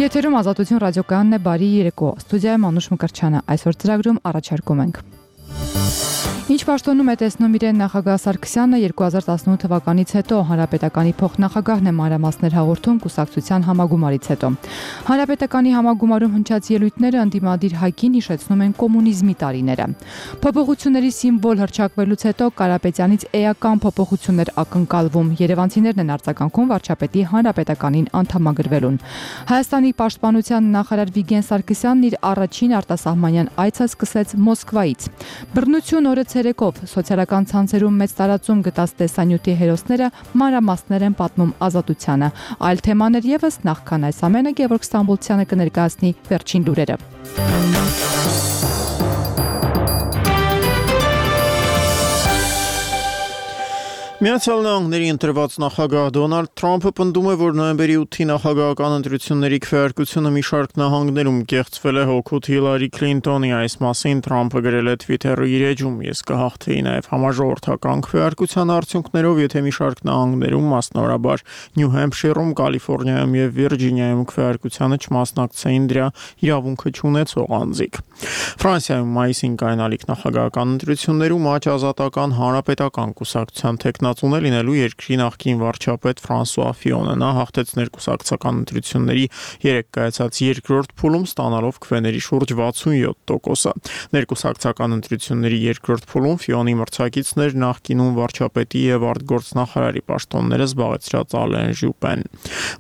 Եթերում Ազատություն ռադիոկայանն է, բարի երեկո, ստուդիայում Անուշ Մկրտչյանը, այսօր ծրագրում առաջարկում ենք. Ինչ պաշտոնում է տեսնում իրեն նախագահ Սարգսյանը 2018 թվականից հետո, Հանրապետականի փոխնախագահն է մանրամասներ հաղորդում կուսակցության համագումարից հետո։ Հանրապետականի համագումարում հնչած ելույթները ընդդիմադիր ՀԱԿ-ին հիշեցնում են կոմունիզմի տարիները։ Փոփոխությունների սիմվոլ հռչակվելուց հետո Կարապետյանից էական փոփոխություններ ակնկալվում, երևանցիներն են արձագանքում վարչապետի Հանրապետականին անդամագրվելուն։ Հայաստանի պաշտպանության նախարար Վիգեն Սարգսյանն իր առաջին արտասահմանյան այցը սկսեց Մոսկվայից։ Բռնություն օրը ցերեկով սոցիալական ցանցերում մեծ տարածում գտած տեսանյութի հերոսները մանրամասներ են պատմում Ազատությանը։ Այլ թեմաներ եւս, նախքան այս ամենը Գևորգ Ստամբոլցյանը կներկայացնի վերջին լուրերը։ Միացյալ Նահանգների ընտրված նախագահ Դոնալդ Թրամփը պնդում է, որ նոյեմբերի 8-ի նախագահական ընտրությունների քվեարկությունը մի շարք նահանգներում կեղծվել է հօգուտ Հիլարի Քլինտոնի։ Այս մասին Թրամփը գրել է Twitter-ի իր էջում. «Ես կհաղթեի նաև համաժողովրդական քվեարկության արդյունքներով, եթե մի շարք նահանգներում, մասնավորաբար Նյու Հեմփշիրում, Կալիֆոռնիայում եւ Վիրջինիայում քվեարկությանը չմասնակցեին դրա իրավունքը չունեցող անձիկ»։ Ֆրանսիայում մայիսին կայանալիք նախագահական ընտրություններում Աջ ազատական հանրապետական կուսակցության տեխնացուն է լինելու երկրի նախկին վարչապետ Ֆրանսուଆ Ֆիոնը։ Նա հաղթեց ներկուսակցական ընտրությունների 3 կայացած երկրորդ փուլում, ստանալով քվեների շուրջ 67%։ Ներկուսակցական ընտրությունների երկրորդ փուլում Ֆիոնի մրցակիցն էր նախկինում վարչապետի եւ արտգործնախարարի պաշտոնները զբաղեցրած Ալեն Ժուպեն։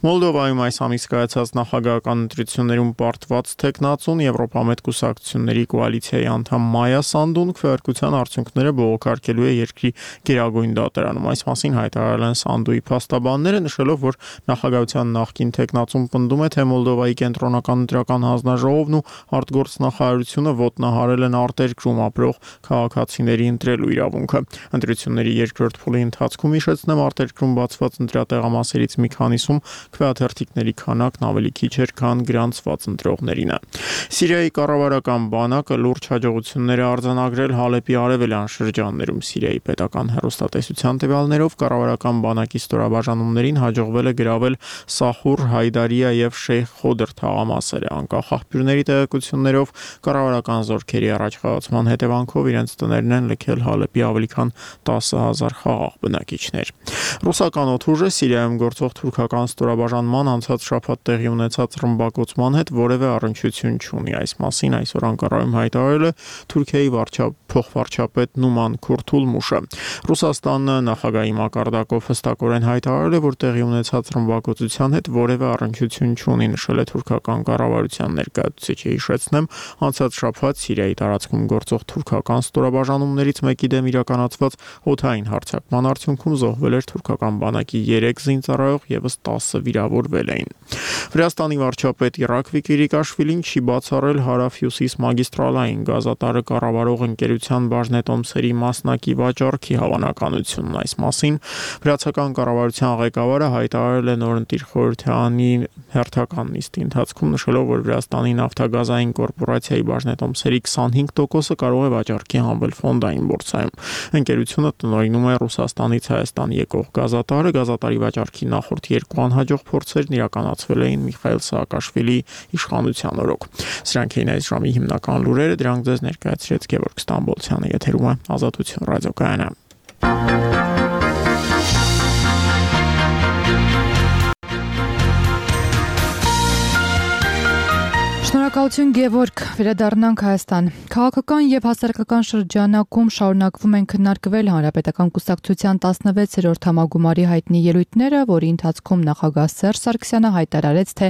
Մոլդովայում այս ամիս կայացած նախագահական ընտրություններում պարտված տեխնացուն Եվրոպամետ կուսակցությունների կոալիցիայի անդամ Մայա Սանդուն քվեարկության արդյունքները բողոքարկելու է երկրի գերագույն դատարանում։ Այս մասին հայտարարել են Սանդուի փաստաբանները, նշելով, որ նախագահության նախկին տեխնացուն պնդում է, թե Մոլդովայի կենտրոնական ընտրական հանձնաժողովն ու արտգործնախարարությունը ոտնահարել են արտերկրում ապրող քաղաքացիների ընտրելու իրավունքը։ Ընտրությունների երկրորդ փուլի ընթացքում, հիշեցնեմ, արտերկրում բացված ընտրատեղամասերից մի քանիսում քվեաթերթիկների քանակն ավելի քիչ էր, քան գրանցված ընտրողներինը։ Սիրիայի կառավարական բանակը լուրջ հաջողություններ է արձանագրել Հալեպի արևելյան շրջաններում։ Սիրիայի պետական հեռուստատեսության տվյալներով կառավարական բանակի ստորաբաժանումներին հաջողվել է գրավել Սախուր, Հայդարիա եւ Շեյխ Խոդր թաղամասերը։ Անկախ աղբյուրների տեղեկություններով կառավարական զորքերի առաջխաղացման հետևանքով իրենց տներն են լքել Հալեպի ավելի քան 10,000 խաղաղ բնակիչներ։ Ռուսական օդուժը Սիրիայում գործող թուրքական ստորաբաժանման անցած շաբաթ տեղի ունեցած ռմբակոծման հետ որևէ առնչություն չունի։ Այս մասին այսօր Անկարայում հայտարարել է Թուրքիայի փոխվարչապետ Նուման Քուրթուլմուշը։ Ռուսաստանը նախագահի մակարդակով հստակորեն հայտարարել է, որ տեղի ունեցած ռմբակոծության հետ որևէ առնչություն չունի, նշել է թուրքական կառավարության ներկայացուցիչը։ Հիշեցնեմ, անցած շաբաթ Սիրիայի տարածքում գործող թուրքական ստորաբաժանումներից մեկի դեմ իրականացված օդային հարձակման արդյունքում զոհվել էր թուրքական բանակի 3 զինծառայող, եւս 10 վիրավորվել էին։ Վրաստանի վարչապետ Իրաք Վիկիրիկաշվիլին չի բացառել Հարավ-Հյուսիս մագիստրալային գազատարը կառավարող ընկերության բաժնետոմսերի մասնակի վաճառքի հավանականությունն։ Այս մասին վրացական կառավարության ղեկավարը հայտարարել է նորընտիր խորհրդարանի հերթական նիստի ընթացքում, նշելով, որ Վրաստանի նավթագազային կորպորացիայի բաժնետոմսերի 25%-ը կարող է վաճառքի հանվել ֆոնդային բորսայում։ Ընկերությունը տնօրինում է Ռուսաստանից Հայաստան եկող գազատարը։ Գազատարի վաճառքի նախորդ 2 անհաջող փորձերն իրականացվել էին Միխայիլ Սաակաշվիլիի իշխանության օրոք։ Սրանք էին այս ժամի հիմնական լուրերը, դրանք ձեզ ներկայացրեց Գևորգ Ստամբոլցյանը։ Եթերում է Ազատություն ռադիոկայանը։ Շնորհակալություն Գևորգ, վերադառնանք Հայաստան։ Քաղաքական եւ հասարակական շրջանակում շարունակվում են քննարկվել Հանրապետական կուսակցության 16-րդ համագումարի հայտնի ելույթները, որի ընթացքում նախագահ Սերժ Սարգսյանը հայտարարեց, թե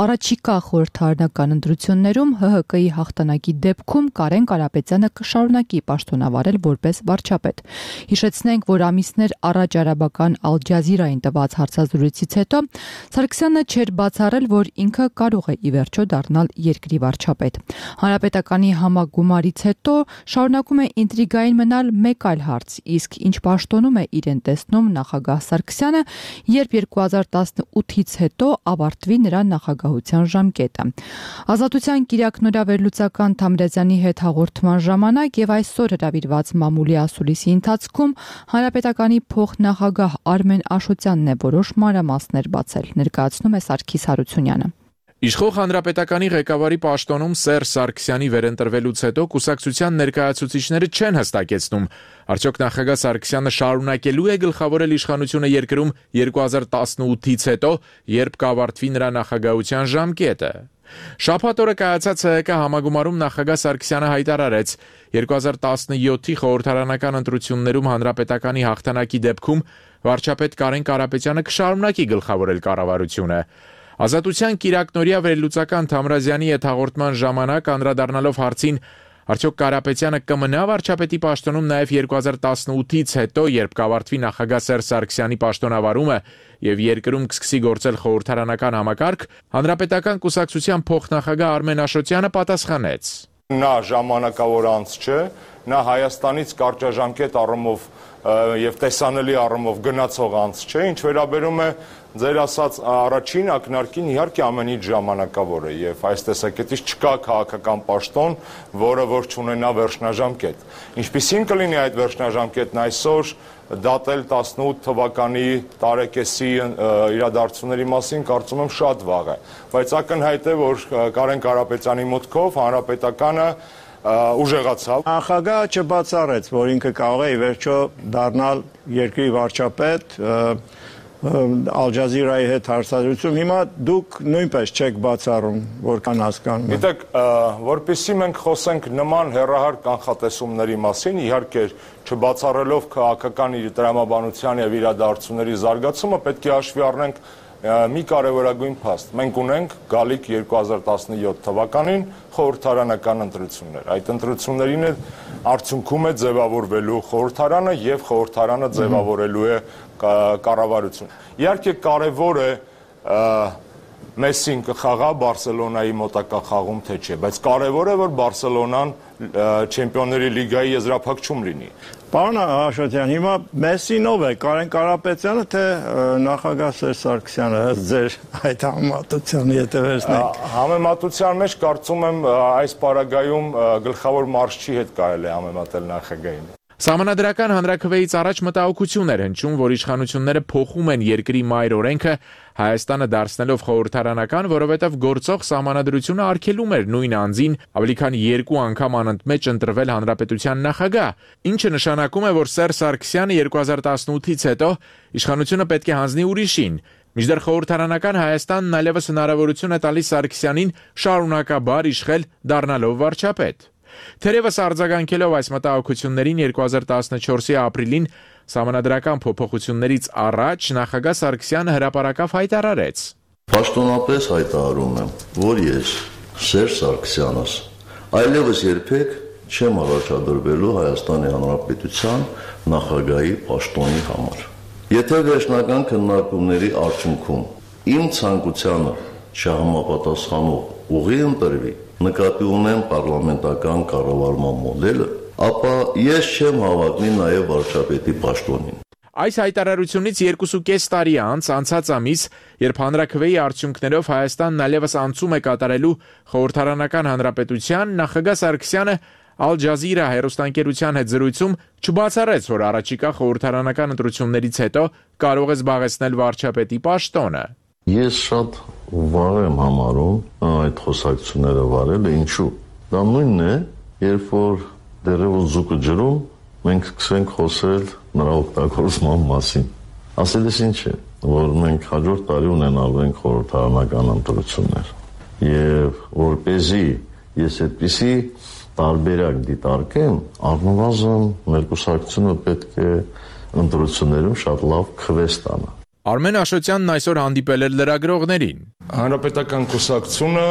առաջիկա խորհրդարանական ընտրություններում ՀՀԿ-ի հաղթանակի դեպքում Կարեն Կարապետյանը կշարունակի պաշտոնավարել որպես վարչապետ։ Հիշեցնենք, որ ամիսներ առաջ արաբական Ալ Ջազիրային տված հարցազրույցից հետո Սարգսյանը չէր բացառել, որ ինքը կարող է ի վերջո դառնալ երկրի վարչապետ։ Հանրապետականի համագումարից հետո շարունակում է ինտրիգային մնալ մեկ այլ հարց, իսկ ինչ պաշտոնում է իրեն տեսնում նախագահ Սարգսյանը, երբ 2018-ից հետո ավարտվի նրա նախագահության ժամկետը։ Ազատության Կիրակնորավերլուծական Թամրազյանի հետ հաղորդման ժամանակ եւ այսօր հրավիրված մամուլի ասուլիսի ընթացքում Հանրապետականի փոխնախագահ Արմեն Աշոտյանն է որոշ մանրամասներ բացել, ներկայացնում է Սարգիս Հարությունյանը։ Իշխող հանրապետականի ղեկավարի պաշտոնում Սերժ Սարգսյանի վերընտրվելուց հետո կուսակցության ներկայացուցիչները չեն հստակեցնում, արդյոք նախագահ Սարգսյանը շարունակելու է գլխավորել իշխանությունը երկրում 2018-ից հետո, երբ կավարտվի նրա նախագահության ժամկետը։ Շաբաթ օրը կայացած ՀՀԿ համագումարում նախագահ Սարգսյանը հայտարարեց 2017-ի խորհրդարանական ընտրություններում հանրապետականի հաղթանակի դեպքում վարչապետ Կարեն Կարապետյանը կշարունակի գլխավորել կառավարությունը։ Ազատության կիրակնօրյա վերլուծական Թամրազյանի հետ հաղորդման ժամանակ անդրադառնալով հարցին, արդյոք Կարապետյանը կմնա վարչապետի պաշտոնում նաև 2018-ից հետո, երբ կավարտվի նախագահ Սերժ Սարգսյանի պաշտոնավարումը եւ երկրում կսկսի գործել խորհրդարանական համակարգ, հանրապետական կուսակցության փոխնախագահ Արմեն Աշոտյանը պատասխանեց. Նա ժամանակավոր անց չէ, նա Հայաստանից կարճաժամկետ առումով եւ տեսանելի առումով գնացող անց չէ, ինչ վերաբերում է ձեր ասած առաջին ակնարկին, իհարկե ամեն ինչ ժամանակավոր է եւ այս տեսակետից չկա քաղաքական պաշտոն, որը որ չունենա վերջնաժամկետ։ Ինչպիսին կլինի այդ վերջնաժամկետն այսօր, դատել 18 թվականի տարեկեսի իրադարձությունների մասին կարծում եմ շատ վաղ է, բայց ակնհայտ է, որ Կարեն Կարապետյանի մուտքով հանրապետականը ուժեղացավ։ Նախագահը չբացառեց, որ ինքը կարող է ի վերջո դառնալ երկրի վարչապետ, Ալ Ջազիրայի հետ հարցազրույցում, հիմա դուք նույնպես չեք բացառում, որքան հասկանում եմ։ Գիտեք, որպեսզի մենք խոսենք նման հեռահար կանխատեսումների մասին, իհարկե չբացառելով քաղաքական տրամաբանության եւ իրադարձությունների զարգացումը, պետք է հաշվի առնենք մի կարևորագույն փաստ։ Մենք ունենք գալիք 2017 թվականին խորհրդարանական ընտրություններ։ Այդ ընտրություններին արդյունքում է ձևավորվելու խորհրդարանը եւ խորհրդարանը ձևավորելու է կառավարություն։ Իհարկե կարևոր է Մեսսին կխաղա Բարսելոնայի մոտակա խաղում թե չէ, բայց կարևոր է, որ Բարսելոնան Չեմպիոնների լիգայի եզրափակում լինի։ Պարոն Աշոտյան, հիմա Մեսսին ով է, Կարեն Կարապետյանը թե նախագահ Սերժ Սարգսյանը, ըստ ձեր այդ համեմատության, եթե վերցնենք։ Համեմատության մեջ կարծում եմ այս պարագայում գլխավոր մարզչի հետ կարելի է համեմատել նախագահին։ Սահմանադրական հանրաքվեից առաջ մտահոգություն էր հնչում, որ իշխանությունները փոխում են երկրի մայր օրենքը Հայաստանը դարձնելով խորհրդարանական, որովհետև գործող սահմանադրությունը արգելում էր նույն անձին ավելի քան 2 անգամ անընդմեջ ընտրվել հանրապետության նախագահ, ինչը նշանակում է, որ Սերժ Սարգսյանը 2018-ից հետո իշխանությունը պետք է հանձնի ուրիշին։ Մինչդեռ խորհրդարանական Հայաստանն այլևս հնարավորություն է տալիս Սարգսյանին շարունակաբար իշխել դառնալով վարչապետ։ Թերևս արձագանքելով այս մտահոգություններին 2014-ի ապրիլին սահմանադրական փոփոխություններից առաջ նախագահ Սարգսյանը հրապարակավ հայտարարեց. Պաշտոնապես հայտարարում եմ, որ ես Սերժ Սարգսյանս այլևս երբեք չեմ առաջադրվելու Հայաստանի Հանրապետության նախագահի պաշտոնի համար։ Եթե վերջնական քննարկումների արդյունքում իմ ցանկությանը չհամապատասխանող ուղի ընտրվի, նկատի ունեմ պարլամենտական կառավարման մոդելը, ապա ես չեմ հավակնի նաև վարչապետի պաշտոնին։ Այս հայտարարությունից 2.5 տարի անց անցած ամիս, երբ հանրաքվեի արդյունքներով Հայաստանն այլևս անցում է կատարելու խորհրդարանական հանրապետության, նախագահ Սարգսյանը Ալ Ջազիրա հեռուստաընկերության հետ զրույցում չբացառեց, որ առաջիկա խորհրդարանական ընտրություններից հետո կարող է զբաղեցնել վարչապետի պաշտոնը։ Ես շատ վաղ եմ համարում այդ խոսակցությունները վարելը, ինչու։ Դա նույնն է, երբ որ դեռևս ձուկը ջրում, մենք սկսենք խոսել նրա օգտագործման մասին։ Ասելիս ինչ է, որ մենք հաջորդ տարի ունենալու ենք խորհրդարանական ընտրություններ։ Եվ որպեսզի ես այդպիսի տարբերակ դիտարկեմ, առնվազն մեր կուսակցությունը պետք է ընտրություններում շատ լավ քվե ստանա։ Արմեն Աշոտյանն այսօր հանդիպել էր լրագրողներին։ Հանրապետական կուսակցությունը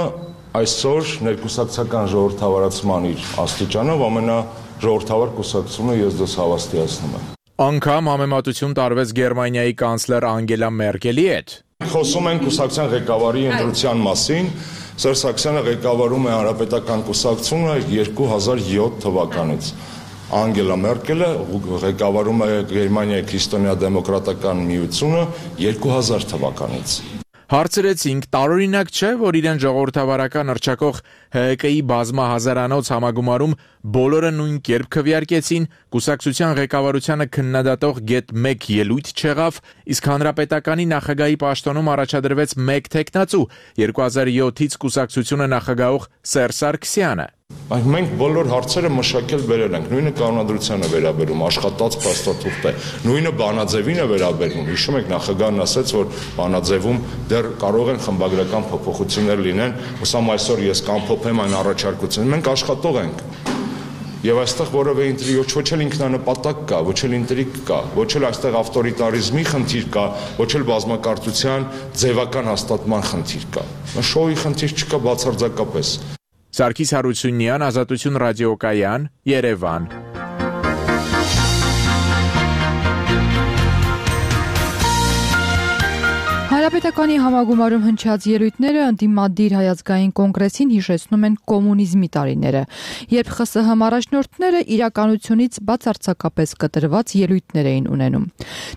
այսօր ներկուսակցական ժողովրդավարացման իր աստիճանով ամենաժողովրդավար կուսակցությունը ես դες հավաստիացնում եմ։ Անգամ համեմատություն տարվեց Գերմանիայի կանցլեր Անգելա Մերկելի հետ։ Խոսում ենք կուսակցության ղեկավարի ընտրության մասին։ Սերժ Սարգսյանը ղեկավարում է հանրապետական կուսակցությունը 2007 թվականից։ Անգելա Մերկելը ղեկավարում է Գերմանիայի քրիստոնեա դեմոկրատական միությունը 2000 թվականից։ Հարցրեցինք, տարօրինակ չէ, որ իրեն ժողովրդավարական հռչակող ՀՀԿ-ի բազմահազարանոց համագումարում բոլորը նույն կերպ քվեարկեցին, կուսակցության ղեկավարությանը քննադատող գեթ 1 ելույթ չեղավ, իսկ հանրապետականի նախագահի պաշտոնում առաջադրվեց մեկ թեկնածու, 2007-ից կուսակցությունը նախագահող Սերժ Սարգսյանը։ Մենք բոլոր հարցերը մշակել վերել ենք, նույնը կանոնադրությանը վերաբերում, աշխատած փաստաթուղթ է, նույնը բանաձևին է վերաբերում։ Հիշում եք նախագահն ասաց, որ բանաձևում դեռ կարող են խմբագրական փոփոխություններ լինեն, ուսամ այսօր ես կամփոփեմ այն առաջարկությունը։ Մենք աշխատող ենք։ Եվ այստեղ որևէ ոչ էլ ինքնանպատակ կա, ոչ էլ ինտրիգ կա, ոչ էլ այստեղ ավտորիտարիզմի խնդիր կա, ոչ էլ բազմակարծության ձևական հաստատման խնդիր կա։ Շոուի խնդիր չկա բացարձակապես։ Սարգիս Հարությունյան, Ազատություն ռադիոկայան, Երևան։ Հանրապետականի համագումարում հնչած ելույթները ընդդիմադիր հայազգային կոնգրեսին հիշեցնում են կոմունիզմի տարիները, երբ ԽՍՀՄ առաջնորդները իրականությունից բացարձակապես կտրված ելույթներ էին ունենում։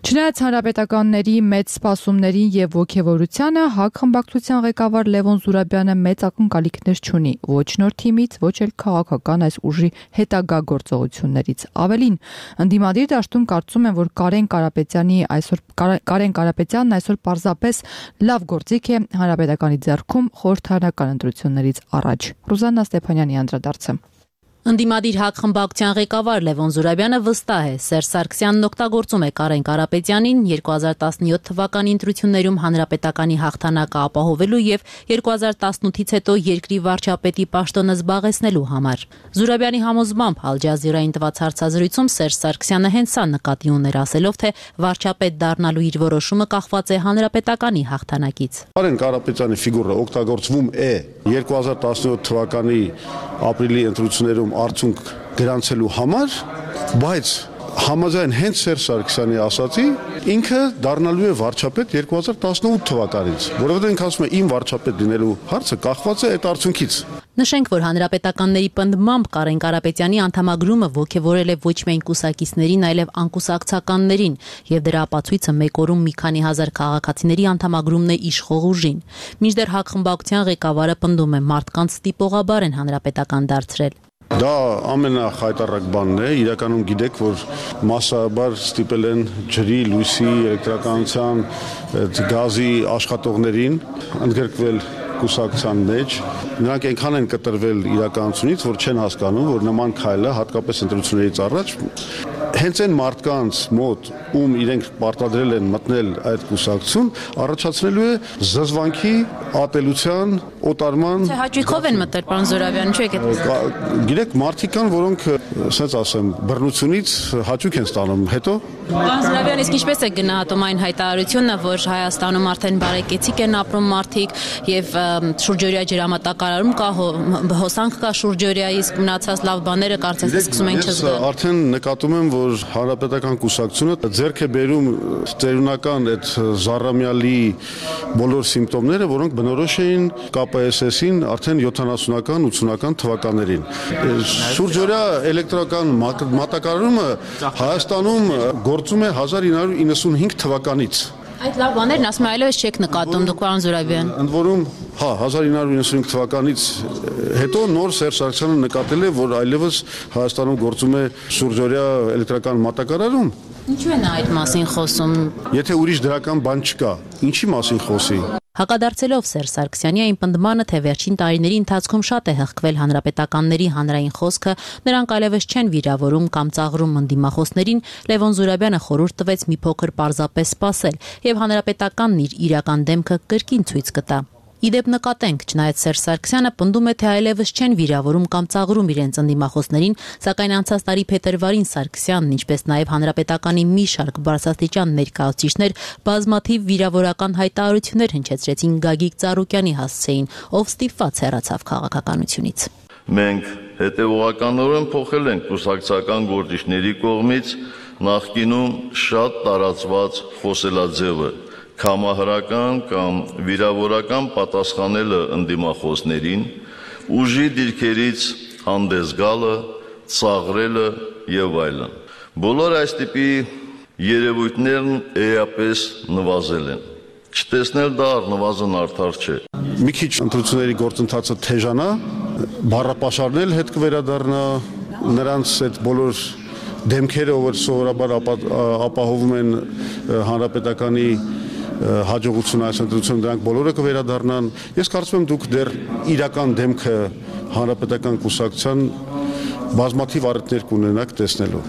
Չնայած հանրապետականների մեծ սպասումներին եւ ոգևորությանը, ՀԱԿ խմբակցության ղեկավար Լևոն Զուրաբյանը մեծ ակնկալիքներ չունի ոչ նոր թիմից, ոչ էլ քաղաքական այս ուժի հետագա գործողություններից։ Ավելին, ընդդիմադիր դաշտում կարծում են, որ Կարեն Կարապետյանն այսօր պարզապես լավ գործիք է հանրապետականի ձեռքում խորհրդարանական ընտրություններից առաջ։ Ռուզաննա Ստեփանյանի անդրադարձը։ Ընդդիմադիր ՀԱԿ խմբակցության ղեկավար Լևոն Զուրաբյանը վստահ է, Սերժ Սարգսյանն օգտագործում է Կարեն Կարապետյանին 2017 թվականի ընտրություններում հանրապետականի հաղթանակը ապահովելու եւ 2018-ից հետո երկրի վարչապետի պաշտոնը զբաղեցնելու համար։ Զուրաբյանի համոզմամբ Ալ Ջազիրային տված հարցազրույցում Սերժ Սարգսյանը հենց սա նկատի ուներ, ասելով, թե վարչապետ դառնալու իր որոշումը կախված է հանրապետականի հաղթանակից։ Կարեն Կարապետյանի ֆիգուրը օգտագործվում է 2017 թվականի ապրիլի ընտրություններում արդյունք գրանցելու համար, բայց համաձայն հենց Սերժ Սարգսյանի ասացի, ինքը դառնալու է վարչապետ 2018 թվականից, որովհետև ինքը ասում է իմ վարչապետ լինելու հարցը կախված է այդ արդյունքից։ Նշենք, որ հանրապետականների պնդմամբ Կարեն Կարապետյանի անդամագրումը ոգևորել է ոչ միայն կուսակիցներին, այլև անկուսակցականներին, եւ դրա ապացույցը մեկ օրում մի քանի հազար քաղաքացիների անդամագրումն է իշխող ուժին։ Մինչդեռ ՀԱԿ խմբակցության ղեկավարը պնդում է, մարդկանց ստիպողաբար են հանրապետական դարձրել։ Դա ամենախայտառակ բանն է, իրականում գիտեք, որ մասսայաբար ստիպել են ջրի, լույսի, էլեկտրականության, գազի աշխատողներին ընդգրկվել կուսակցության մեջ, նրանք այնքան են կտրվել իրականությունից, որ չեն հասկանում, որ նման քայլը հատկապես ընտրություններից առաջ հենց այն մարդկանց մոտ, ում իրենք պարտադրել են մտնել այդ կուսակցություն, առաջացնելու է զզվանքի, ատելության, օտարման։ Թե հաճույքով են մտել, պարոն Զուրաբյան, ինչու եք այդպես։ Գիտեք, մարդիկ կան, որոնք, ասենց ասեմ, բռնությունից հաճույք են ստանում, հետո։ Պարոն Զուրաբյան, իսկ ինչպես է գնահատում այն հայտարարությունը, որ Հայաստանում արդեն բարեկեցիկ են ապրում մարդիկ եւ շուրջօրյա ջրամատակարարում կա, հոսանք կա շուրջօրյա, իսկ մնացած լավ բաները կարծես սկսում են չզգալ։ Ես արդեն նկատում եմ, որ հանրապետական կուսակցությունը ձեռք է բերում ծերունական այդ զառամյալի բոլոր սիմպտոմները, որոնք բնորոշ էին ԿՊՍՍ-ին արդեն 70-ական, 80-ական թվականներին։ Շուրջօրյա էլեկտրական մատակարարումը Հայաստանում գործում է 1995 թվականից։ Այդ լավ բաներն ասում եմ այլևս չեք նկատում դուք, պարոն Զուրաբյան։ Ընդ որում, 1995 թվականից հետո նոր Սերժ Սարգսյանը նկատել է, որ այլևս Հայաստանում գործում է շուրջօրյա էլեկտրական մատակարարում։ Ինչու է նա այդ մասին խոսում։ Եթե ուրիշ դրական բան չկա, ինչի մասին խոսի։ Հակադարձելով Սերժ Սարգսյանի այն պնդմանը, թե վերջին տարիների ընթացքում շատ է հղկվել հանրապետականների հանրային խոսքը, նրանք այլևս չեն վիրավորում կամ ծաղրում ընդդիմախոսներին, Լևոն Զուրաբյանը խորհուրդ տվեց մի փոքր պարզապես սպասել եւ հանրապետականն իր իրական դեմքը կրկին ցույց կտա։ Իդեպ նկատենք, չնայած Սերժ Սարգսյանը պնդում է, թե այլևս չեն վիրավորում կամ ծաղրում իրենց ընդդիմախոսներին, սակայն անցած տարի փետրվարին Սարգսյանն, ինչպես նաև հանրապետականի մի շարք բարձրաստիճան ներկայացուցիչներ բազմաթիվ վիրավորական հայտարարություններ հնչեցրեցին Գագիկ Ծառուկյանի հասցեին, ով ստիպված հեռացավ քաղաքականությունից։ Մենք հետևողականորեն փոխել ենք կուսակցական գործիչների կողմից նախկինում շատ տարածված խոսելաձևը կամահրական կամ վիրավորական պատասխանելը ընդդիմախոսներին, ուժի դիրքերից հանդես գալը, ծաղրելը եւ այլն։ Բոլոր այս տիպի երևույթներն էապես նվազել են։ Չտեսնել դա առնվազն արդար չէ։ Մի քիչ ընտրությունների գործընթացը թեժանա, բառապաշարն հետ կվերադառնա, նրանց այդ բոլոր դեմքերը, որ սովորաբար ապահովում են հանրապետականի հաջողությունը այս ընտրությունում, դրանք բոլորը կվերադառնան։ Ես կարծում եմ դուք դեռ իրական դեմքը հանրապետական կուսակցության բազմաթիվ առիթներ կունենաք տեսնելու։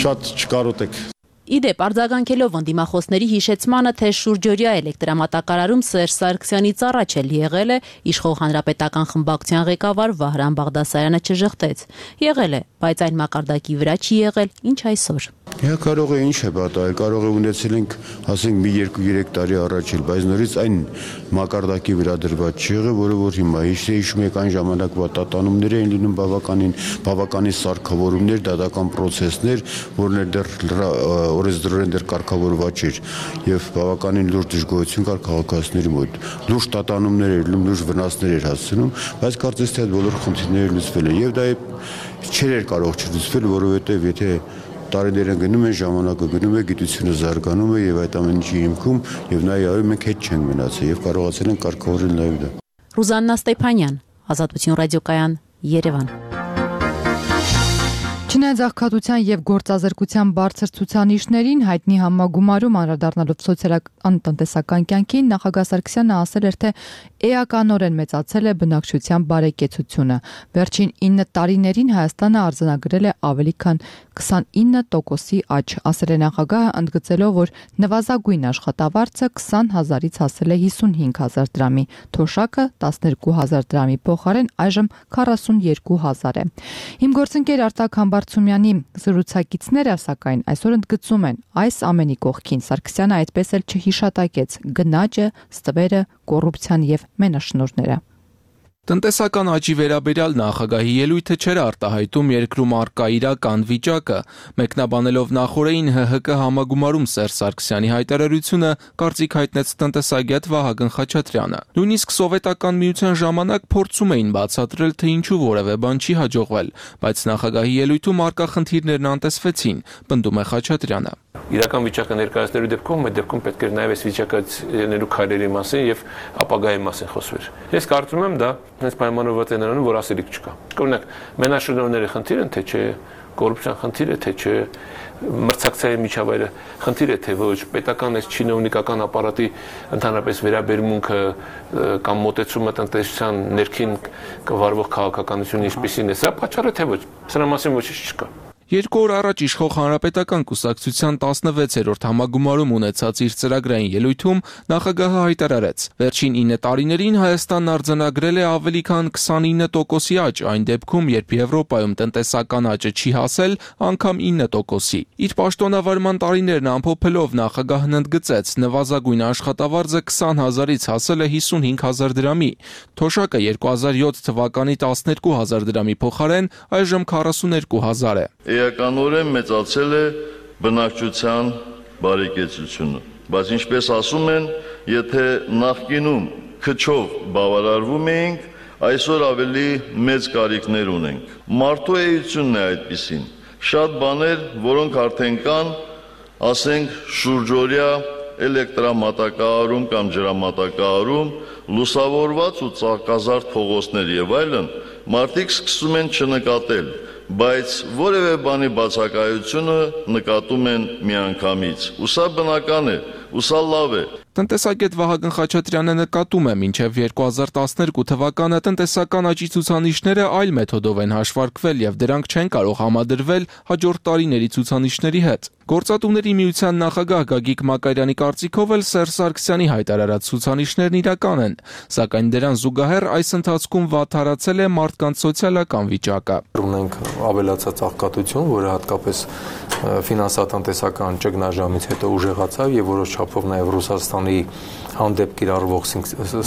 Շատ չկարոտեք։ Իդեպ արձագանքելով ընդդիմախոսների հիշեցմանը, թե շուրջօրյա էլեկտրամատակարարում Սերժ Սարգսյանի ծառաչել եղել է, իշխող հանրապետական խմբակցության ղեկավար Վահրամ Բաղդասարյանը չժխտեց։ Եղել է, բայց այն մակարդակի վրա չի եղել, ինչ այսօր։ Կարող է ինչ է պատահել, կարող է ունեցել ենք, ասենք, մի 2-3 տարի առաջ էլ, բայց նորից այն մակարդակի վրա դրված չի եղել, որը որ հիմա հիշում եք այն ժամանակվա տատանումներ էին լինում բավականին սարքավորումներ, դատական պրոցեսներ, որներ դեռ օրենսդրորեն դեռ կարգավորված չէր եւ բավականին լուրջ դժգոհություն կար քաղաքացիների մոտ։ Լուրջ տատանումներ էր լինում, լուրջ վնասներ էր հասցնում, բայց կարծես թե այդ բոլոր խնդիրները լուծվել են եւ դա չէր կարող չլուծվել, որովհետեւ եթե տարիները գնում են, ժամանակը գնում է, գիտությունը զարգանում է եւ այդ ամեն ինչի հիմքում եւ նաեւ մենք հետ չենք մնացել եւ կարողացել ենք կարգավորել նաեւ դա։ Ռուզաննա Ստեփանյան, Ազատություն ռադիոկայան, Երևան։ Չնայած աղքատության եւ գործազրկության բարձր ցուցանիշներին հայտնի համագումարում անդրադառնալով սոցիալական տնտեսական կյանքին, նախագահ Սարգսյանը ասել էր, թե էականորեն մեծացել է բնակչության բարեկեցությունը։ Վերջին 9 տարիներին Հայաստանը արձանագրել է ավելի քան 29%-ի աճ, ասել է նախագահը, ընդգծելով, որ նվազագույն աշխատավարձը 20,000-ից հասել է 55,000 դրամի, թոշակը 12,000 դրամի փոխարեն այժմ 42,000 է։ Հիմգործընկեր Արտակ Համբարձումյանի զրուցակիցները, սակայն, այսօր ընդգծում են, այս ամենի կողքին Սարգսյանը այդպես էլ չհիշատակեց գնաճը, ստվերը, կոռուպցիան եւ մենաշնորհները։ Տնտեսական աճի վերաբերյալ նախագահի ելույթը չէր արտահայտում երկրում առկա իրական վիճակը, մեկնաբանելով նախորդին ՀՀԿ համագումարում Սերժ Սարգսյանի հայտարարությունը, կարծիք հայտնեց տնտեսագետ Վահագն Խաչատրյանը։ Նույնիսկ սովետական միության ժամանակ փորձում էին բացատրել, թե ինչու որևէ բան չի հաջողվել, բայց նախագահի ելույթում առկա խնդիրներն անտեսվեցին, պնդում է Խաչատրյանը։ Իրական վիճակը ներկայացնելու դեպքում այդ դեպքում պետք է նաև այս վիճակից ելնելու քայլերի մասին եւ ապագայի մասին խոսվեր։ Ես կարծում եմ դա հենց պայմանավորված է նրանով, որ ասելիք չկա։ Օրինակ, մենաշնորհների խնդիր են, թե չէ, կոռուպցիան խնդիր է, թե չէ, մրցակցային միջավայրը խնդիր է, թե ոչ, պետական այս չինովնիկական ապարատի ընդհանրապես վերաբերմունքը կամ մոտեցումը տնտեսության ներքին կվարվող քաղաքականությունը ինչպիսին է, սա պատճառ է, թե ոչ, սրա մասին ոչինչ չկա։ 2 օր առաջ իշխող հանրապետական կուսակցության 16-րդ համագումարում ունեցած իր ծրագրային ելույթում նախագահը հայտարարեց. Վերջին 9 տարիներին Հայաստանն արձանագրել է ավելի քան 29%-ի աճ, այն դեպքում, երբ Եվրոպայում տնտեսական աճը չի հասել անգամ 9%-ի։ Իր պաշտոնավարման տարիներն ամփոփելով նախագահն ընդգծեց, նվազագույն աշխատավարձը 20,000-ից հասել է 55,000 դրամի, թոշակը 2007 թվականի 12,000 դրամի փոխարեն այժմ 42,000 է։ Էականորեն մեծացել է բնակչության բարեկեցությունը, բայց ինչպես ասում են, եթե նախկինում քչով բավարարվում էինք, այսօր ավելի մեծ կարիքներ ունենք։ Մարդու էությունն է այդպիսին։ Շատ բաներ, որոնք արդեն կան, ասենք շուրջօրյա էլեկտրամատակարարում կամ ջրամատակարարում, լուսավորված ու ծաղկազարդ փողոցներ եւ այլն, մարդիկ սկսում են չնկատել, բայց որևէ բանի բացակայությունը նկատում են միանգամից։ Ու սա բնական է, ու սա լավ է։ Տնտեսագետ Վահագն Խաչատրյանը նկատում է, մինչև 2012 թվականը տնտեսական աճի ցուցանիշները այլ մեթոդով են հաշվարկվել եւ դրանք չեն կարող համադրվել հաջորդ տարիների ցուցանիշների հետ։ Գործատուների միության նախագահ Գագիկ Մակարյանի կարծիքով էլ Սերժ Սարգսյանի հայտարարած ցուցանիշներն իրական են, սակայն դրան զուգահեռ այս ընթացքում վատթարացել է մարդկանց սոցիալական վիճակը։ Ունենք ավելացած աղքատություն, որը հատկապես ֆինանսատնտեսական ճգնաժամից հետո ուժեղացավ եւ որոշ չափով նաեւ Ռուսաստանի հանդեպ կիրառվող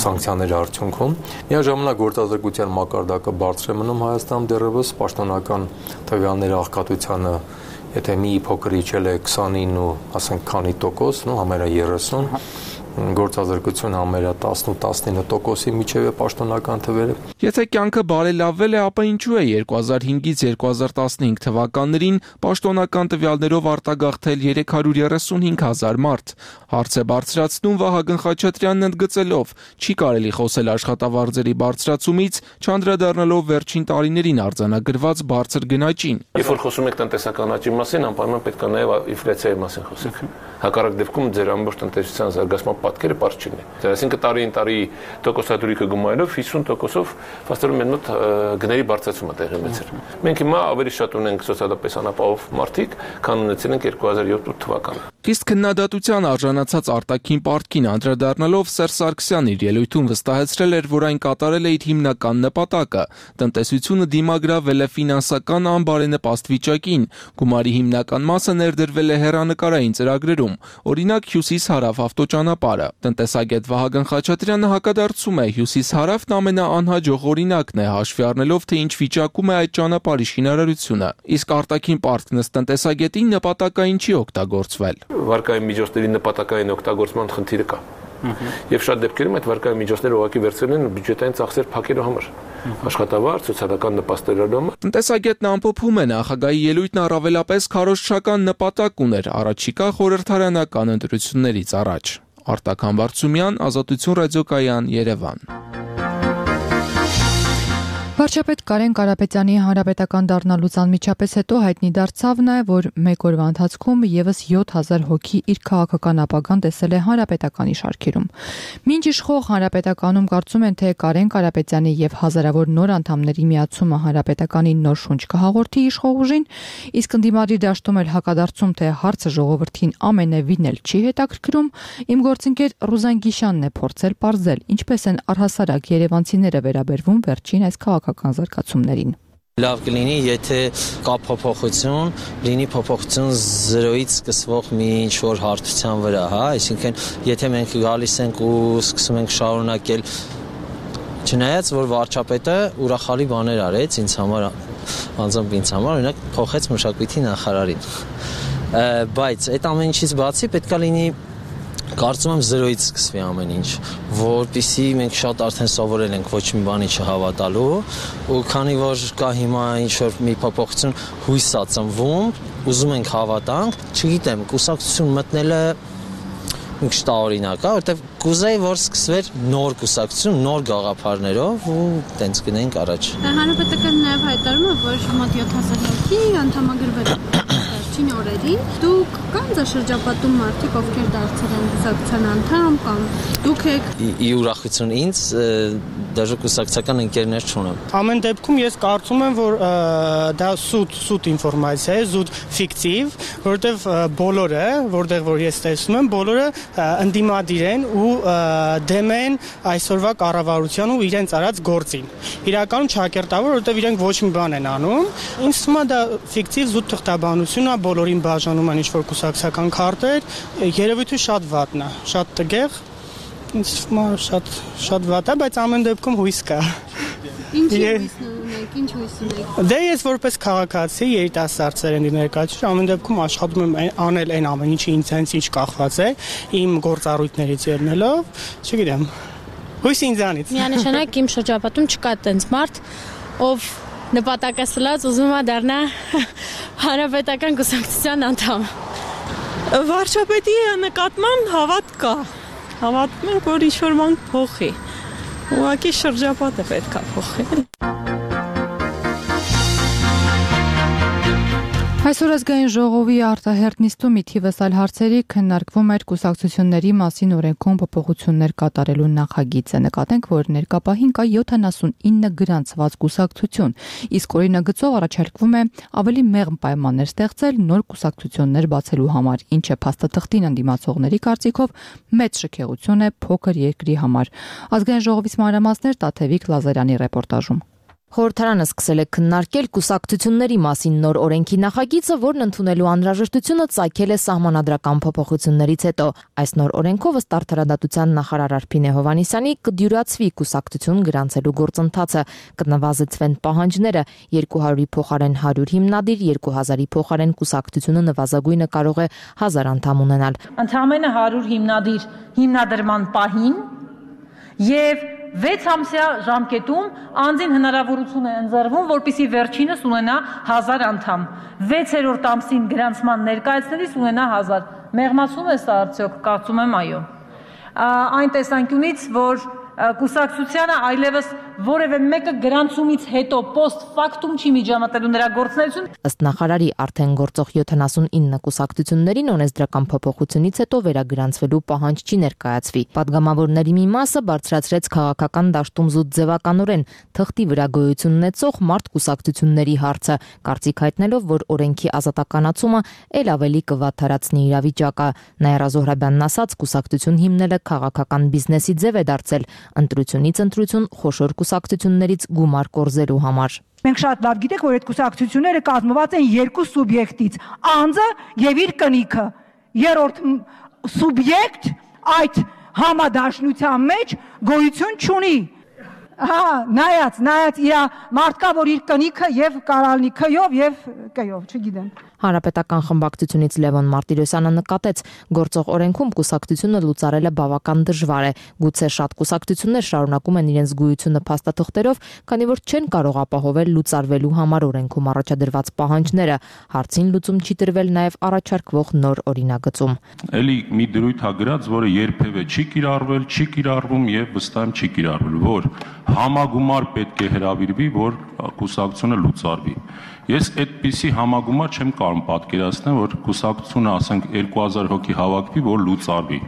սանկցիաների արդյունքում միաժամանակ գործազրկության մակարդակը բարձր է մնում Հայաստանում դեռևս պաշտոնական տվյալների աղքատությանը եթե մի փոքր իջել է 29 ու ասենք քանի տոկոս, նո համարյա 30, գործազրկություն համարյա 18-19%-ի միջև է պաշտոնական թվերը։ Եթե կյանքը բարելավվել է, ապա ինչու է 2005-ից 2015 թվականներին պաշտոնական տվյալներով արտագաղթել 335,000 մարդ։ Հարց է բարձրացնում Վահագն Խաչատրյանն ընդգծելով, չի կարելի խոսել աշխատավարձերի բարձրացումից, չանդրադառնալով վերջին տարիներին արձանագրված բարձր գնաճին։ Երբ որ խոսում եք տնտեսական աճի մասին, անպայման պետք է նաև ինֆլյացիայի մասին խոսենք։ Հակառակ դեպքում ձեր ամբողջ տնտեսության զարգացման պատկերը բարձր չլինի։ Այսինքն տարին տարի տոկոսադրույքը գումարելով 50%-ով ֆաստորեն մեր մոտ գների բարձրացում է տեղի ունեցել։ Մենք հիմա ավելի շատ ունենք սոցիալապես անապահով մարդիկ, քան ունեցել ենք 2007 թվականին։ Իսկ քննադատության արժանացած արտաքին պարտքին անդրադառնալով Սերժ Սարգսյանն իր ելույթում վստահեցրել էր, որ այն կատարել է իր հիմնական նպատակը՝ տնտեսությունը դիմագրավել է ֆինանսական անբարենպաստ վիճակին, գումարի հիմնական մասը ներդրվել է հեռանկարային ծրագրերում, օրինակ Հյուսիս-Հարավ ավտոճանապարհը։ Տնտեսագետ Վահագն Խաչատրյանը հակադարձում է, Հյուսիս-Հարավն ամենաանհաջող օրինակն է, հաշվի առնելով, թե ինչ վիճակում է այդ ճանապարհի շինարարությունը։ Իսկ արտաքին պարտքն ըստ տնտեսագետին նպատակային չի օգտագործվել։ Վարկային միջոցների նպատակային օգտագործման խնդիրը կա։ Եվ շատ դեպքերում այդ վարկային միջոցները ուղղակի վերցրել են բյուջետային ծախսեր փակելու համար, աշխատավարձ, սոցիալական նպաստելու համար։ Տնտեսագետն ամփոփում է, նախագահի ելույթն առավելապես քարոզչական նպատակ ուներ առաջիկա խորհրդարանական ընտրություններից առաջ։ Արտակ Համբարձումյան, Ազատություն ռադիոկայան, Երևան։ Վարչապետ Կարեն Կարապետյանի հանրապետական դառնալուց անմիջապես հետո հայտնի դարձավ նաև, որ մեկ օրվա ընթացքում եւս 7000 հոգի իր քաղաքական ապագան տեսել է հանրապետականի շարքերում։ Մինչ իշխող հանրապետականում կարծում են, թե Կարեն Կարապետյանի եւ հազարավոր նոր անդամների միացումը հանրապետականին նոր շունչ կհաղորդի իշխող ուժին, իսկ ընդդիմադիր դաշտում էլ հակադարձում, թե հարցը ժողովրդին ամենևին էլ չի հետաքրքրում, իմ գործընկեր Ռուզան Գիշյանն է փորձել պարզել, ինչպես են առհասարակ երևանցիները վերաբերվում վերջին այս քաղաքական զարգացումներին։ Լավ կլինի, եթե կա փոփոխություն, լինի փոփոխություն 0-ից սկսվող մի ինչ-որ հարթության վրա, հա, այսինքն եթե մենք գալիս ենք ու սկսում ենք շարունակել, չնայած որ վարչապետը ուրախալի բաներ արեց ինձ համար, անձամբ ինձ համար, օրինակ փոխեց մշակույթի նախարարին, բայց այդ ամեն ինչից բացի պետք է լինի, կարծում եմ 0-ից սկսվի ամեն ինչ, որպեսզի մենք շատ արդեն սովորել ենք ոչ մի բանի չհավատալու, ու քանի որ կա հիմա ինչ-որ մի փոփոխություն հույս է ծնվում, ուզում ենք հավատանք, չգիտեմ, կուսակցություն մտնելը մի քիչ տարօրինակ է, որտեղ կուզեի, որ սկսվեր նոր կուսակցություն, նոր գաղափարներով ու տենց գնենք առաջ։ Հանրապետականը նաև հայտարարում է, որ մոտ 7000 հոգի անդամագրվել վերջին օրերին։ Դուք կան շրջապատում մարդիկ, ովքեր դարձել են կուսակցության անդամ կամ դուք եք։ Ի ուրախություն ինձ դաժե կուսակցական ընկերներ չունեմ։ Ամեն դեպքում ես կարծում եմ, որ դա սուտ ինֆորմացիա է, զուտ ֆիկտիվ, որտեղ բոլորը, որտեղ որ ես տեսնում եմ, բոլորը ընդդիմադիր են ու դեմ են այսօրվա կառավարության ու իրենց արած գործին։ Իրականում չակերտավոր, որտեղ իրենք ոչ մի բան են անում։ Ինձ թվում է դա ֆիկտիվ զուտ թղթաբանություն է, բոլորին բաժանում են ինչ-որ կուսակցական քարտեր, երևույթը շատ վատն է, շատ տգեղ։ Ինձ թվում է շատ վատ է, բայց ամեն դեպքում հույս կա։ Ինչ հույս ունեք։ Դե ես որպես քաղաքացի երիտասարդ սերնդի ներկայացուցիչ ամեն դեպքում աշխատում եմ անել այն ամեն ինչը ինձանից ինչ կախված է, իմ գործառույթներից ելնելով, չգիտեմ։ Հույս ինձանից։ Միանշանակ իմ շրջապատում չկա տենց մարդ, ով նպատակասլաց ուզում է դառնա հանրապետական կուսակցության անդամ։ Վարչապետի նկատմամբ հավատ կա։ Հավատում եմ, որ ինչ-որ բան փոխի։ Ուղղակի շրջապատը պետք է փոխել։ Այսօր ազգային ժողովի արտահերտ նիստում թիվս այլ հարցերի քննարկվում էր կուսակցությունների մասին օրենքում փոփոխություններ կատարելու նախագիծը։ Նկատենք, որ ներկապահին կա 79 գրանցված կուսակցություն, իսկ օրինագծով առաջարկվում է ավելի մեղմ պայմաններ ստեղծել նոր կուսակցություններ բացելու համար, ինչը փաստաթղթին ընդդիմացողների կարծիքով մեծ շքեղություն է փոքր երկրի համար։ Ազգային ժողովից մանրամասներ Տաթևիկ Լազարյանի ռեպորտաժում։ Խորհրդարանը սկսել է քննարկել կուսակցությունների մասին նոր օրենքի նախագիծը, որն ընդունելու անհրաժեշտությունը ծագել է սահմանադրական փոփոխություններից հետո։ Այս նոր օրենքով ըստ Արդարադատության նախարար Արփինե Հովհաննիսյանի կդյուրացվի կուսակցություն գրանցելու գործընթացը, կնվազեցվեն պահանջները, 200-ի փոխարեն 100 հիմնադիր, 2000-ի փոխարեն կուսակցությունը նվազագույնը կարող է 1000 անդամ ունենալ։ Ընդամենը 100 հիմնադիր հիմնադրման պահին եւ 6 ամսյա ժամկետում անձին հնարավորություն է ընձեռվում, որպեսզի վերջինս ունենա 1000 անդամ, 6-րդ ամսին գրանցման ներկայացնելիս ունենա 1000։ Մեղմացում է սա արդյոք, կարծում եմ այո։ Այն տեսանկյունից, որ կուսակցությանը այլևս որևէ մեկը գրանցումից հետո post factum չի միջամտելու նրա գործունեություն։ Ըստ նախարարի արդեն գործող 79 կուսակցություններին օրենսդրական փոփոխությունից հետո վերագրանցվելու պահանջ չի ներկայացվի։ Պատգամավորների մի մասը բարձրացրեց քաղաքական դաշտում զուտ ձևականորեն թղթի վրա գոյություն ունեցող մարդ կուսակցությունների հարցը, կարծիք հայտնելով, որ օրենքի ազատականացումը ել ավելի կվատթարացնի իրավիճակը։ Նաիրա Զոհրաբյանն ասաց, կուսակցություն հիմնելը քաղաքական բիզնեսի ձև է դարձել, ընտրությունից ընտրություն խոշոր կուսակցություններից գումար կորզելու համար։ Մենք շատ լավ գիտենք, որ այդ կուսակցությունները կազմված են երկու սուբյեկտից՝ անձը եւ իր կնիքը։ Երրորդ սուբյեկտ այդ համադաշնության մեջ գոյություն չունի։ Նայած իրա մարդկա, որ իր կնիքը եւ կարալնի քյով եւ կյով, չգիտեմ։ Հանրապետական խմբակցությունից Լևոն Մարտիրոսյանը նկատեց, գործող օրենքում կուսակցությունը լուծարելը բավական դժվար է։ Գուցե շատ կուսակցություններ շարունակում են իրենց գոյությունը փաստաթղթերով, քանի որ չեն կարող ապահովել լուծարվելու համար օրենքում առաջադրված պահանջները։ Հարցին լուծում չի տրվել նաև առաջարկվող նոր օրինագծում։ Էլի մի դրույթ ա գրած, որը երբևէ չի կիրառվել, չի կիրառվում եւ վստահ եմ չի կիրառվել, որ համագումար պետք է հրավիրվի, որ կուսակցությունը լուծարվի։ Ես այդպիսի համագումար չեմ կարող պատկերացնել, որ կուսակցությունը, ասենք, 2000 հոգի հավաքվի, որ լուծարվի։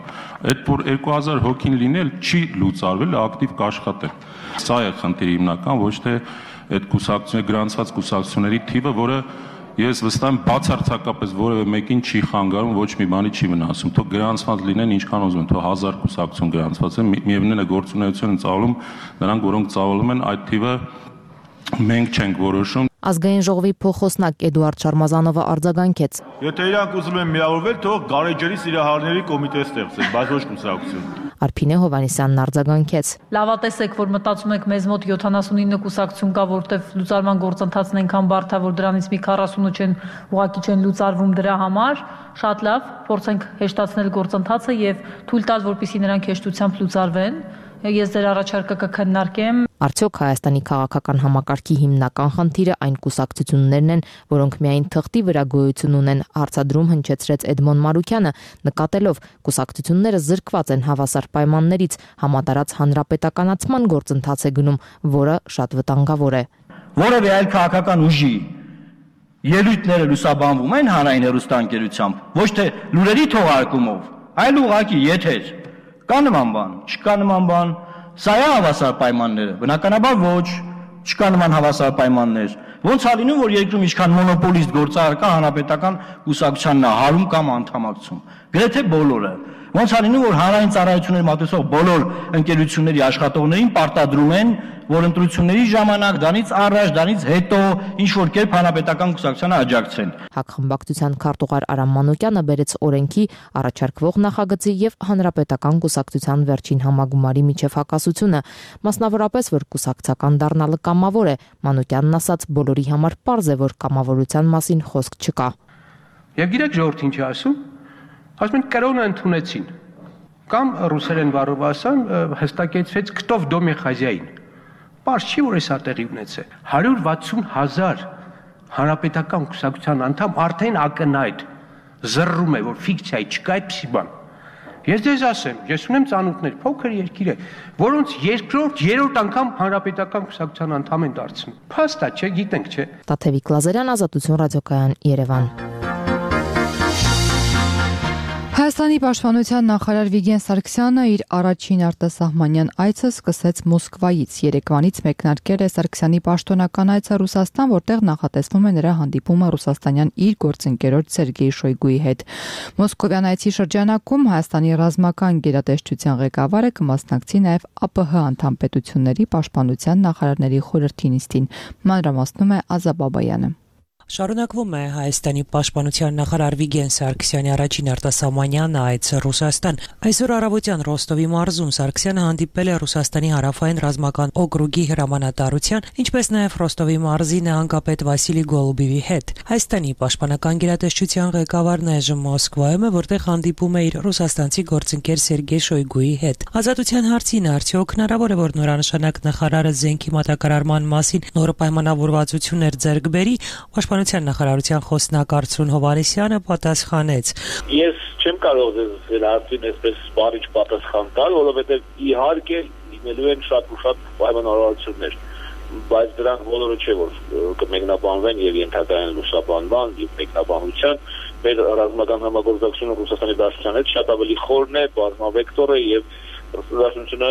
Այդ որ 2000 հոգին լինել չի լուծարվել, ակտիվ կաշխատել։ Սա է խնդիրը հիմնական, ոչ թե այդ կուսակցությունների գրանցված կուսակցությունների թիվը, որը ես վստահ եմ բացարձակապես որևէ մեկին չի խանգարում, ոչ մի բանի չի վնասում։ Թող գրանցված լինեն ինչքան ուզում են, թող 1000 կուսակցություն գրանցված են, միևնույնն է գործունեություն են ծավալում, նրանք որոնք ծավալում են, այդ թիվը մենք չենք որոշում։ Ազգային ժողովի փոխոսնակ Էդուարդ Շարմազանովը արձագանքեց. Եթե իրանք ուզում են միավորվել, թող Գարեջրի սիրահարների կոմիտե ստեղծեն, բայց ոչ կուսակցություն։ Արփինե Հովհաննիսյանն արձագանքեց. Լավատես եք, որ մտածում եք մեզ մոտ 79 կուսակցություն կա, որտեվ լուծարման գործընթացն այնքան բարդ է, որ դրանից մի 40-ը չեն ուղղակի չեն լուծարվում դրա համար։ Շատ լավ, փորձենք հեշտացնել գործընթացը եւ թույլ տալ, որպեսզի նրանք հեշտությամբ լուծարվեն։ Ես ձեր առաջարկը կքննարկեմ։ Արդյոք Հայաստանի քաղաքական համակարգի հիմնական խնդիրը այն կուսակցություններն են, որոնք միայն թղթի վրա գոյություն ունեն, հարցադրում հնչեցրեց Էդմոն Մարուկյանը, նկատելով կուսակցությունները զրկված են հավասար պայմաններից, համատարած հանրապետականացման գործընթաց է գնում, որը շատ վտանգավոր է։ Որևէ այլ քաղաքական ուժի ելույթները լուսաբանվում են հանրային հեռուստաընկերությամբ, ոչ թե լուրերի թողարկումով, այլ ուղղակի եթեր։ Կա նման բան, չկա նման բան, սա է հավասար պայմանները, բնականաբար ոչ, չկա նման հավասար պայմաններ։ Ոնց է լինում, որ երկրում ինչքան մոնոպոլիստ գործարար կա, հանրապետական կուսակցությանն է հարում կամ անդամակցում։ Գրեթե բոլորը։ Ոնց է լինում, որ հանրային ծառայությունների մատուցող բոլոր ընկերությունների աշխատողներին պարտադրում են, որ ընտրությունների ժամանակ, դրանից առաջ, դրանից հետո ինչ որ կերպ հանրապետական կուսակցությանը աջակցեն։ Հակխմբակցության քարտուղար Արամ Մանուկյանը բերեց օրենքի առաջարկվող նախագծի եւ հանրապետական կուսակցության վերջին համագումարի միջև հակասությունը, մասնավորապես որ կուսակցական դառնալը կամավոր է։ Մանուկյանն ասաց, բոլորի համար պարզ է, որ կամավորության մասին խոսք չկա։ Եվ գիտեք ժողովուրդ ինչ ասում։ Ասում են կրոնը ընդունեցին։ Կամ ռուսերեն բառով ասեմ, հստակեցվեց «Քտով դոմի խազյային»։ Պարզ չի, որ էսա տեղի ունեցել։ 160,000 հանրապետական կուսակցության անդամ արդեն ակնհայտ զռռում է, որ ֆիկցիա չկա այդպիսի բան։ Ես ձեզ ասեմ, ես ունեմ ծանոթներ, փոքր երկիր է, որոնց երկրորդ, երրորդ անգամ հանրապետական կուսակցության անդամ են դարձնում։ Փաստ է, չէ, գիտենք, չէ։ Տաթևիկ Լազարյան, Ազատություն ռադիոկայան, Երևան։ Հայաստանի պաշտպանության նախարար Վիգեն Սարգսյանը իր առաջին արտասահմանյան այցը սկսեց Մոսկվայից։ Երեկվանից մեկնարկել է Սարգսյանի պաշտոնական այցը Ռուսաստան, որտեղ նախատեսվում է նրա հանդիպումը ռուսաստանյան իր գործընկերոջ Սերգեյ Շոյգուի հետ։ Մոսկովյան այցի շրջանակում Հայաստանի ռազմական գերատեսչության ղեկավարը կմասնակցի նաև ԱՊՀ անդամ պետությունների պաշտպանության նախարարների խորհրդի նիստին։ Մանրամասնում է Ազա Բաբայանը։ Շարունակվում է Հայաստանի պաշտպանության նախարար Վիգեն Սարգսյանի առաջին արտասահմանյան այցը Ռուսաստան։ Այսօր առավոտյան Ռոստովի մարզում Սարգսյանը հանդիպել է Ռուսաստանի հարավային ռազմական օկրուգի հրամանատարության, ինչպես նաև Ռոստովի մարզի նահանգապետ Վասիլի Գոլուբիվի հետ։ Հայաստանի պաշտպանական գերատեսչության ղեկավարն այժմ Մոսկվայում է, որտեղ հանդիպում է իր ռուսաստանցի գործընկեր Սերգեյ Շոյգուի հետ։ Ազատության հարցին արդյոք հնարավոր է, որ նորանշանակ նախարարը զենքի մատակարարման մասին նոր պայմանավորվածություններ ձեռք բերի։ Պաշտպանության նախարարության խոսնակ Արծրուն Հովհաննիսյանը պատասխանեց. Ես չեմ կարող ձեզ հարցին այսպես սպառիչ պատասխան տալ, որովհետև իհարկե լինելու են շատ ու շատ պայմանավորվածություններ, բայց դրանք բոլորը չէ, որ կմեկնաբանվեն եւ ենթակայեն լուսաբանման եւ մեկնաբանության։ Մեր ռազմական համագործակցությունը Ռուսաստանի Դաշնության հետ շատ ավելի խորն է, բազմավեկտոր է եւ Դաշնությունը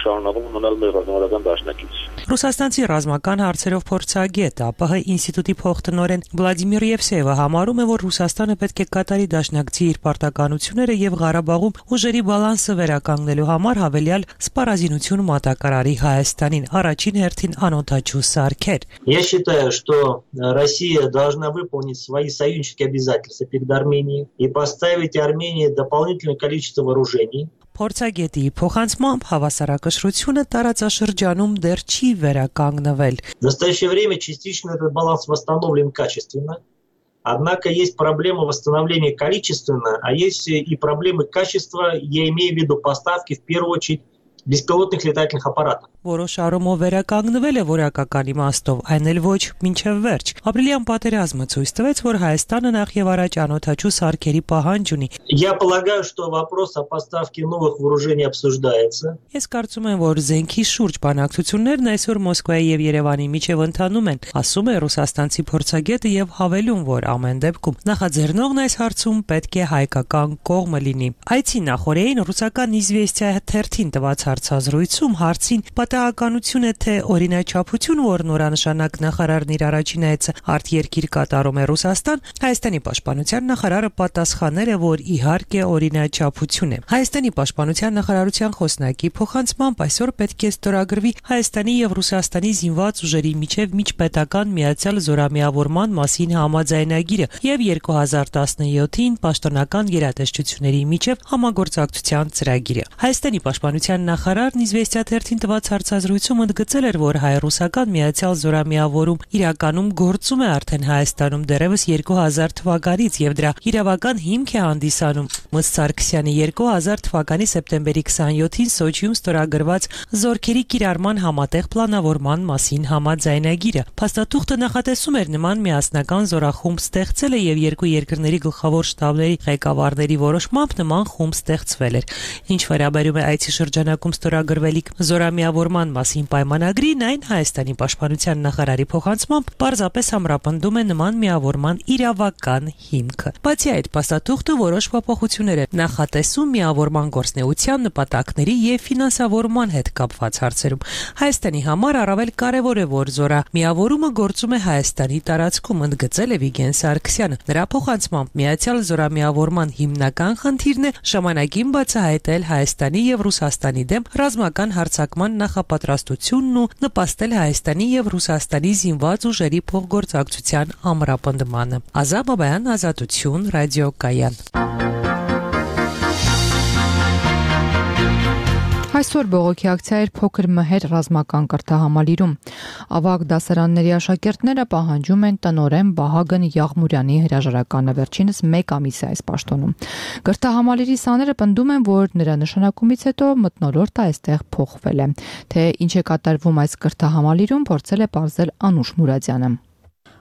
շարունակում մնալ մեր ռազմական դաշնակից։ Ռուսաստանցի ռազմական հարցերով փորձագետ ԱՊՀ ինստիտուտի փոխտնօրեն Վլադիմիր Եվսեևը համարում է, որ Ռուսաստանը պետք է կատարի դաշնակցի իր պարտականությունները եւ Ղարաբաղում ուժերի բալանսը վերականգնելու համար հավելյալ սպառազինություն մատակարարի Հայաստանին, առաջին հերթին անօդաչու սարքեր։ Я считаю, что Россия должна выполнить свои союзнические обязательства перед Арменией и поставить Армении дополнительное количество вооружений. Փորձագետի փոխանցմամբ հավասարակշռությունը տարածաշրջանում դեռ չի վերականգնվել։ В настоящее время частично этот баланс восстановлен качественно. Однако есть проблема восстановления количественно, а есть и проблемы качества, я имею в виду поставки в первую очередь беспилотных летательных аппаратов. Որոշ առումով վերականգնվել է որակական իմաստով, այն էլ ոչ մինչև վերջ։ Ապրիլյան պատերազմը ցույց տվեց, որ Հայաստանը նախ եւ առաջ անօդաչու սարքերի պահանջ ունի։ Я полагаю, что вопрос о поставке новых вооружений обсуждается. Ես կարծում եմ, որ զենքի շուրջ բանակցություններն այսօր Մոսկվայի եւ Երևանի միջև ընթանում են, ասում է ռուսաստանցի փորձագետը եւ հավելում, որ ամեն դեպքում նախաձեռնողն այս հարցում պետք է հայկական կողմը լինի։ Այցի նախորդին ռուսական Իզվեստիա թերթին տված հարցազրույցում հարցին պատահականություն է թե օրինաչափություն, որ նորանշանակ նախարարն իր առաջին այցը արտերկիր կատարում է Ռուսաստան, Հայաստանի պաշտպանության նախարարը պատասխանել է, որ իհարկե օրինաչափություն է։ Հայաստանի պաշտպանության նախարարության խոսնակի փոխանցմամբ այսօր պետք է ստորագրվի Հայաստանի եւ Ռուսաստանի զինված ուժերի միջև միջպետական միացյալ զորամիավորման մասին համաձայնագիրը եւ 2017-ին պաշտոնական գերատեսչությունների միջև համագործակցության ծրագիրը։ Հայաստանի պաշտպանության նախարարն Իզվեստիա թերթին տված հարցազրույցում ընդգծել էր, որ հայ-ռուսական միացյալ զորամիավորում իրականում գործում է արդեն Հայաստանում դեռևս 2000 թվականից եւ դրա իրավական հիմք է հանդիսանում Մ. Սարգսյանի 2000 թվականի սեպտեմբերի 27-ին Սոչիում ստորագրված զորքերի կիրառման համատեղ պլանավորման մասին համաձայնագիրը։ Փաստաթուղթը նախատեսում էր նման միասնական զորախումբ ստեղծելը եւ երկու երկրների գլխավոր շտաբների ղեկավարների որոշմամբ նման խումբ ստեղծվել էր։ Ինչ վերաբերում է այցի շրջանակում ստորագրվելիք զորամիավորման մասին պայմանագրին, այն Հայաստանի պաշտպանության նախարարի փոխանցմամբ պարզապես ամրապնդում է նման միավորման իրավական հիմքը։ Բացի այդ, փաստաթուղթը որոշ փոփոխություններ է նախատեսում միավորման գործնեության նպատակների եւ ֆինանսավորման հետ կապված հարցերում։ Հայաստանի համար առավել կարեւոր է, որ զորամիավորումը գործում է Հայաստանի տարածքում, ընդգծել է Վիգեն Սարգսյանը։ Նրա փոխանցմամբ միացյալ զորամիավորման հիմնական խնդիրն է ժամանակին բացահայտել Հայաստանի եւ Ռուսաստանի դեմ ռազմական հարձակման նախապատրաստությունն ու նպաստել Հայաստանի եւ Ռուսաստանի զինված ուժերի փոխգործակցության ամրապնդմանը։ Ազա Բաբայան, Ազատություն, ռադիոկայան։ Այսօր բողոքի ակցիա էր Փոքր Մհեր ռազմական կրթահամալիրում։ Ավագ դասարանների աշակերտները պահանջում են տնօրեն Վահագն Եղմուրյանի հրաժարականը, վերջինս 1 ամիս է այս պաշտոնում։ Կրթահամալիրի սաները պնդում են, որ նրա նշանակումից հետո մթնոլորտը այստեղ փոխվել է։ Թե ինչ է կատարվում այս կրթահամալիրում, փորձել է պարզել Անուշ Մուրադյանը։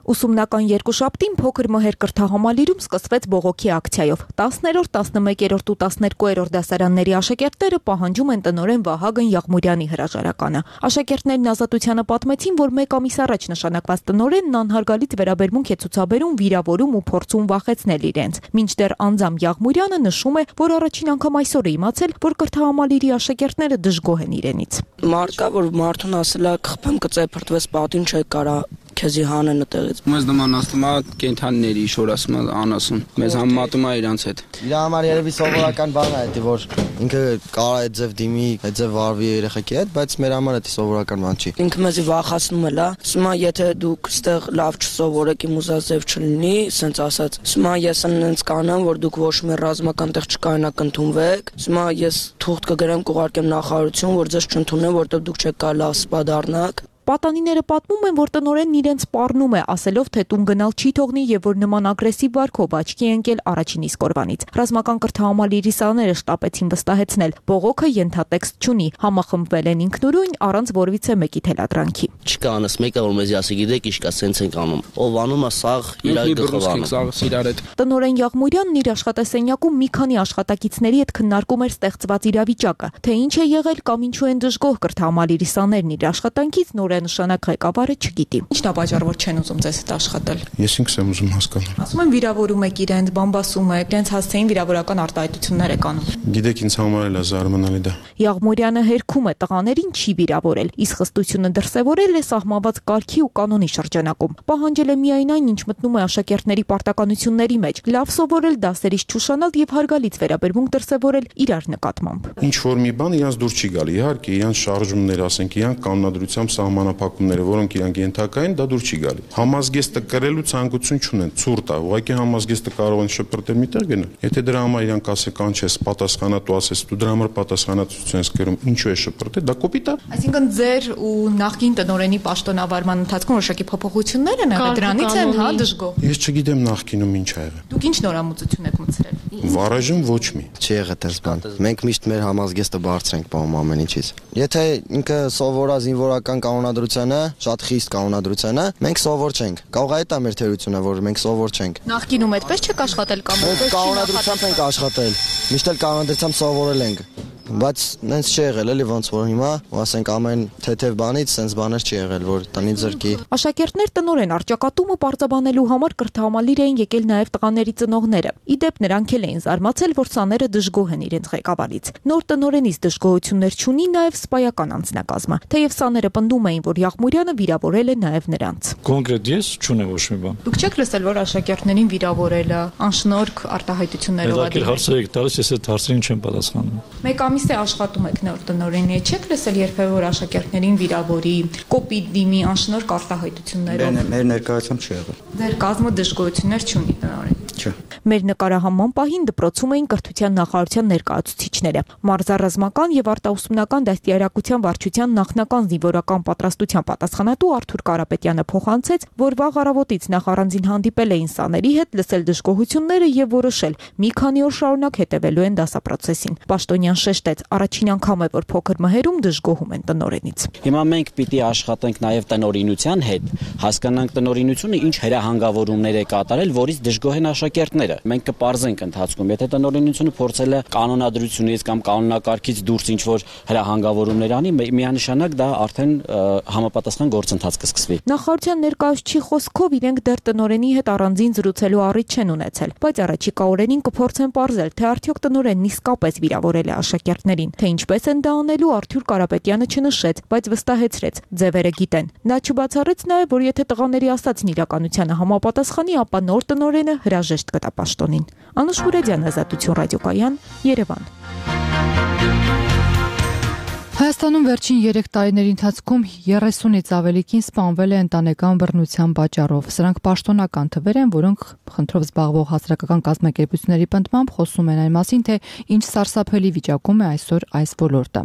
Ուսումնական երկուշաբթին փոքր մհեր կրթահամալիրում սկսվեց բողոքի ակցիայով։ 10-րդ, 11-րդ ու 12-րդ դասարանների աշակերտները պահանջում են տնօրեն Վահագն Եղմուրյանի հրաժարականը։ Աշակերտներն Ազատությանը պատմեցին, որ 1 ամիս առաջ նշանակված տնօրենն անհարգալից վերաբերմունք է ցուցաբերում, վիրավորում ու փորձում վախեցնել իրենց։ Մինչդեռ անձամ Եղմուրյանը նշում է, որ առաջին անգամ այսօր է իմացել, որ կրթահամալիրի աշակերտները դժգոհ են իրենից։ Մարկա, որ մարդուն ասել է խփեմ կծե փրտվես պատին չէ կարա քեզի հանեն այդտեղից։ Մեզ նման ասում է կենթանիների շոր ասում է անասուն։ Մեզ համեմատում է իրանց հետ։ Իր համար երևի սովորական բան է դա, որ ինքը կարա այդ ձև դիմի, այդ ձև վարվի երեխեքի հետ, բայց մեր համար դա սովորական բան չի։ Ինքը մեզի վախացնում է, լա։ Ասում է եթե դուք ստեղ լավ չսովորեք, իմ ուզած ձև չլինի, սենց ասած։ Ասում է ես ինձ կանեմ, որ դուք ոչ մի ռազմական տեղ չկայանաք ընդունվեք։ Ասում է ես թուղթ կգրեմ կուղարկեմ նախարարություն, որ ձեզ չընդունեն, որտեղ դուք չեք կարա լավ սպա դառնաք։ Պատանիները պատմում են, որ տնօրենն իրենց սպառնում է, ասելով, թե տուն գնալ չի թողնի եւ որ նման ագրեսիվ վարքով աչքի ընկել առաջին իսկ օրվանից։ Ռազմական կրթահամալիրի սաները շտապեցին վստահեցնել, բողոքը ենթատեքստ չունի, համախմբվել են ինքնուրույն առանց որևիցե մեկի թելադրանքի։ Չկա անս մեկը, որ մեզ ասի գիտեք, ինչ կա, սենց ենք անում։ Ով անում է սաղ իրար գխվանում։ Տնօրեն Եղմուրյանն իր աշխատասենյակում մի քանի աշխատակիցների հետ քննարկում էր ստեղծված իրավիճակը, թե ինչ է եղել կամ ինչու են դժգոհ կրթահամալիրի սաներն իր աշխատանքից նշանակ ղեկավարը չգիտի։ Ինչն է պատճառը, որ չեն ուզում ձեզ հետ աշխատել։ Ես ինքս եմ ուզում հասկանալ։ Ասում են վիրավորում եք իրենց, բամբասում եք, իրենց հասցեին վիրավորական արտահայտություններ եք անում։ Գիտեք, ինձ համար էլ է զարմանալի դա։ Եղմուրյանը հերքում է տղաներին չի վիրավորել, իսկ խստությունը դրսևորել է սահմանված կարգի ու կանոնի շրջանակում։ Պահանջել է միայն այն, ինչ մտնում է աշակերտների պարտականությունների մեջ՝ լավ սովորել, դասերից չուշանալ եւ հարգալից վերաբերմունք դրսևորել իրար նկատմամբ։ Ինչ որ մի բան իրանց դուր չի գալի, իհարկե, իրանց շարժումներ, ասենք, իրանք կանոնադրությամբ սահմանափակումները, որոնք իրանք ենթակա են, դա դուր չի գալի։ Համազգեստը կրելու ցանկություն չունեն, ցուրտ է, ուղղակի համազգեստը կարող են շփրտել միտեղ գնալ։ Եթե դրա համար իրանք ասեն կանչես, պատասխանատու ասես, դու դրա համար պատասխանատվություն ես կրում, ինչու է շփրտել, դա կոպիտ է։ Այսինքն ձեր ու նախկին տնօրենի պաշտոնավարման ընթացքում որոշակի փոփոխություններ են եղել, դրանից են, հա, դժգոհ։ Ես չգիտեմ նախկինում ինչ ա եղել։ Դուք ինչ նորամուծություն եք մտցրել։ Վարաժում ոչ մի։ Չի եղել դες բան։ Մենք միշտ մեր համազգեստը բարձր ենք պահում ամեն ինչից։ Եթե ինքը սովորա զինվորական կանոնադրությանը, շատ խիստ կանոնադրությանը, մենք սովոր չենք։ Կարող է դա մեր թերությունը, որ մենք սովոր չենք։ Նախկինում այդպես չեք աշխատել կամ կանոնադրությամբ ենք աշխատել։ Միշտ էլ կանոնադրությամբ սովորել ենք։ Բայց նենց չի եղել էլի ոնց որ հիմա, ասենք ամեն թեթև բանից սենց բաներ չի եղել, որ տնից զրկի։ Աշակերտներ տնօրեն արճակատումը պարզաբանելու համար կրթահամալիր էին եկել նաև տղաների ծնողները։ Իդեպ նրանք էլ էին զարմացել, որ սաները դժգոհ են իրենց ղեկավարից։ Նոր տնօրենից դժգոհություններ չունի նաև սպայական անձնակազմը, թեև սաները պնդում էին, որ Եղմուրյանը վիրավորել է նաև նրանց։ Կոնկրետ ես չունեմ ոչ մի բան։ Դուք չեք լսել, որ աշակերտներին վիրավորելը անշնորհք արտահայտություններով է։ Հարցեր եք տալիս, ես այդ հարցերին չեմ պատասխանում։ Մեկ ամիս է աշխատում եք նոր տնօրենի, չեք լսել երբևէ որ աշակերտներին վիրավորի, կոպիտ դիմի, անշնորհք արտահայտություններով։ Մեր ներկայությամբ չի եղել։ Ձեր կազմը դժգոհություններ չունի տնօրեն։ Չէ։ Մեր նկարահանման պահին դպրոցում էին կրթության նախարարության ներկայացուցիչները։ Մարզառազմական եւ արտաուսումնական դաստիարակության վարչության նախնական զինվորական պատրաստության պատասխանատու Արթուր Կարապետյանը փոխանցեց, որ վաղ առավոտից նախարարին հանդիպել էին սաների հետ, լսել դժգոհությունները եւ որոշել մի քանի օր շարունակ հետևելու են դասապրոցեսին։ Պաշտոնյան շեշտեց, առաջին անգամ է, որ փոքր մհերում դժգոհում են տնօրենից։ Հիմա մենք պիտի աշխատենք նաեւ տնօրինության հետ, հասկանանք տնօրինությունը ինչ հրահանգավորումներ է կատարել, որից դժգոհ են աշակերտները։ Մենք կպարզենք ընթացքում, եթե տնօրինությունը փորձել է կանոնադրությունից կամ կանոնակարգից դուրս ինչ-որ հրահանգավորումներ անի, միանշանակ դա արդեն համապատասխան գործընթաց կսկսվի։ Նախարարության ներկայացուցիչի խոսքով իրենք դեռ տնօրենի հետ առանձին զրուցելու առիթ չեն ունեցել, բայց առաջիկա օրերին կփորձեն պարզել, թե արդյոք տնօրենն իսկապես վիրավորել է աշակերտներին, թե ինչպես են դա անելու Արթուր Կարապետյանը չնշեց, բայց վստահեցրեց, ձևերը գիտեն։ Նա չբացառեց նաև, որ եթե տղաների ասածն իրականությանը համապատասխանի, ապա նոր տնօրենը հրաժեշտ կտա պաշտոնին։ Անուշ Մուրադյան, Ազատություն ռադիոկայան, Երևան։ Հայաստանում վերջին 3 տարիների ընթացքում 30-ից ավելի կին սպանվել է ընտանեկան բռնության պատճառով։ Սրանք պաշտոնական թվեր են, որոնք խնդրով զբաղվող հասարակական կազմակերպությունների պնդմամբ խոսում են այն մասին, թե ինչ սարսափելի վիճակում է այսօր այս ոլորտը։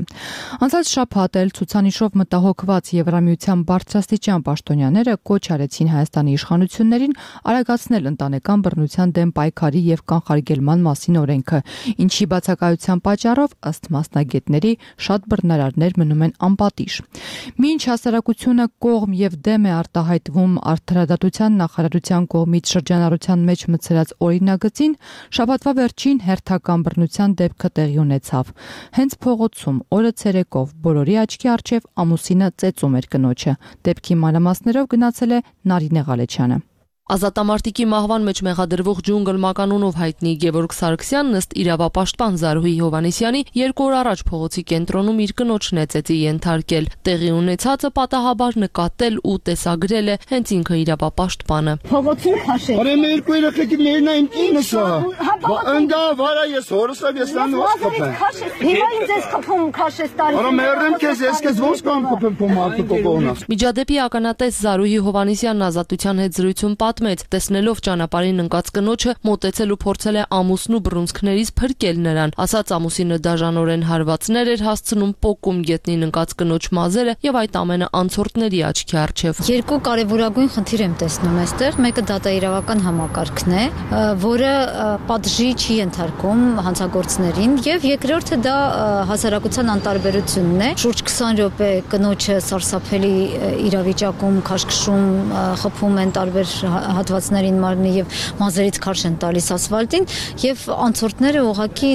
Անցած շաբաթ էլ ցուցանիշով մտահոգված Եվրամիության բարձրաստիճան պաշտոնյաները կոչ արեցին Հայաստանի իշխանություններին արագացնել ընտանեկան բռնության դեմ պայքարի եւ կանխարգելման մասին օրենքը, ինչի բացակայության պատճառով ըստ մասնագետների շատ բռնարար հայտարարներ մնում են անպատիժ։ Մինչ հասարակությունը կողմ եւ դեմ է արտահայտվում Արդարադատության նախարարության կողմից շրջանառության մեջ մցրած օրինագծին, շաբաթվա վերջին հերթական բռնության դեպքը տեղի ունեցավ։ Հենց փողոցում օրը ցերեկով բոլորի աչքի առջև ամուսինը ծեծում էր կնոջը։ Դեպքի մանրամասներով գնացել է Նարինե Ղալեչյանը։ Ազատամարտիկի մահվան մեջ մեղադրվող ջունգլ մականունով հայտնի Գևորգ Սարգսյանն ըստ իրավապաշտպան Զարուհի Հովհաննիսյանի 2 օր առաջ փողոցի կենտրոնում իր կնոջն է ծեծի ենթարկել։ Տեղի ունեցածը պատահաբար նկատել ու տեսագրել է հենց ինքը իրավապաշտպանը։ Փողոցում քաշել։ Արե մեր երկու երեխեքի մերն այն ինքնս է։ Ընկա վարա ես հորսավ ես լան ո՞ց կփեմ։ Հիմա ինձ ես կփում քաշես տարի։ Արո մերեմ քեզ ես ո՞ց կամ կփեմ քո մարդու կողոնաս։ Միջադեպի ականատես Զարուհի Հովհաննիսյանն Ազատության հետ զրույցում պատմեց, տեսնելով ճանապարհին ընկած կնոջը, մոտեցել ու փորձել է ամուսնու բռունցքներից փրկել նրան։ Ասաց ամուսինը դաժանորեն հարվածներ էր հասցնում, պոկում գետնին ընկած կնոջ մազերը եւ այդ ամենը անցորդների աչքի առջև։ Երկու կարևորագույն խնդիր եմ տեսնում այստեղ։ Մեկը դատաիրավական համակարգն է, որը պատժի չի ենթարկում հանցագործներին, եւ երկրորդը դա հասարակության անտարբերությունն է։ Շուրջ 20 րոպե կնոջը սարսափելի իրավիճակում քաշքշում, խփում են տարբեր հատվածներին մարմնի եւ մազերից քարշ են տալիս ասֆալտին եւ անցորդները ուղղակի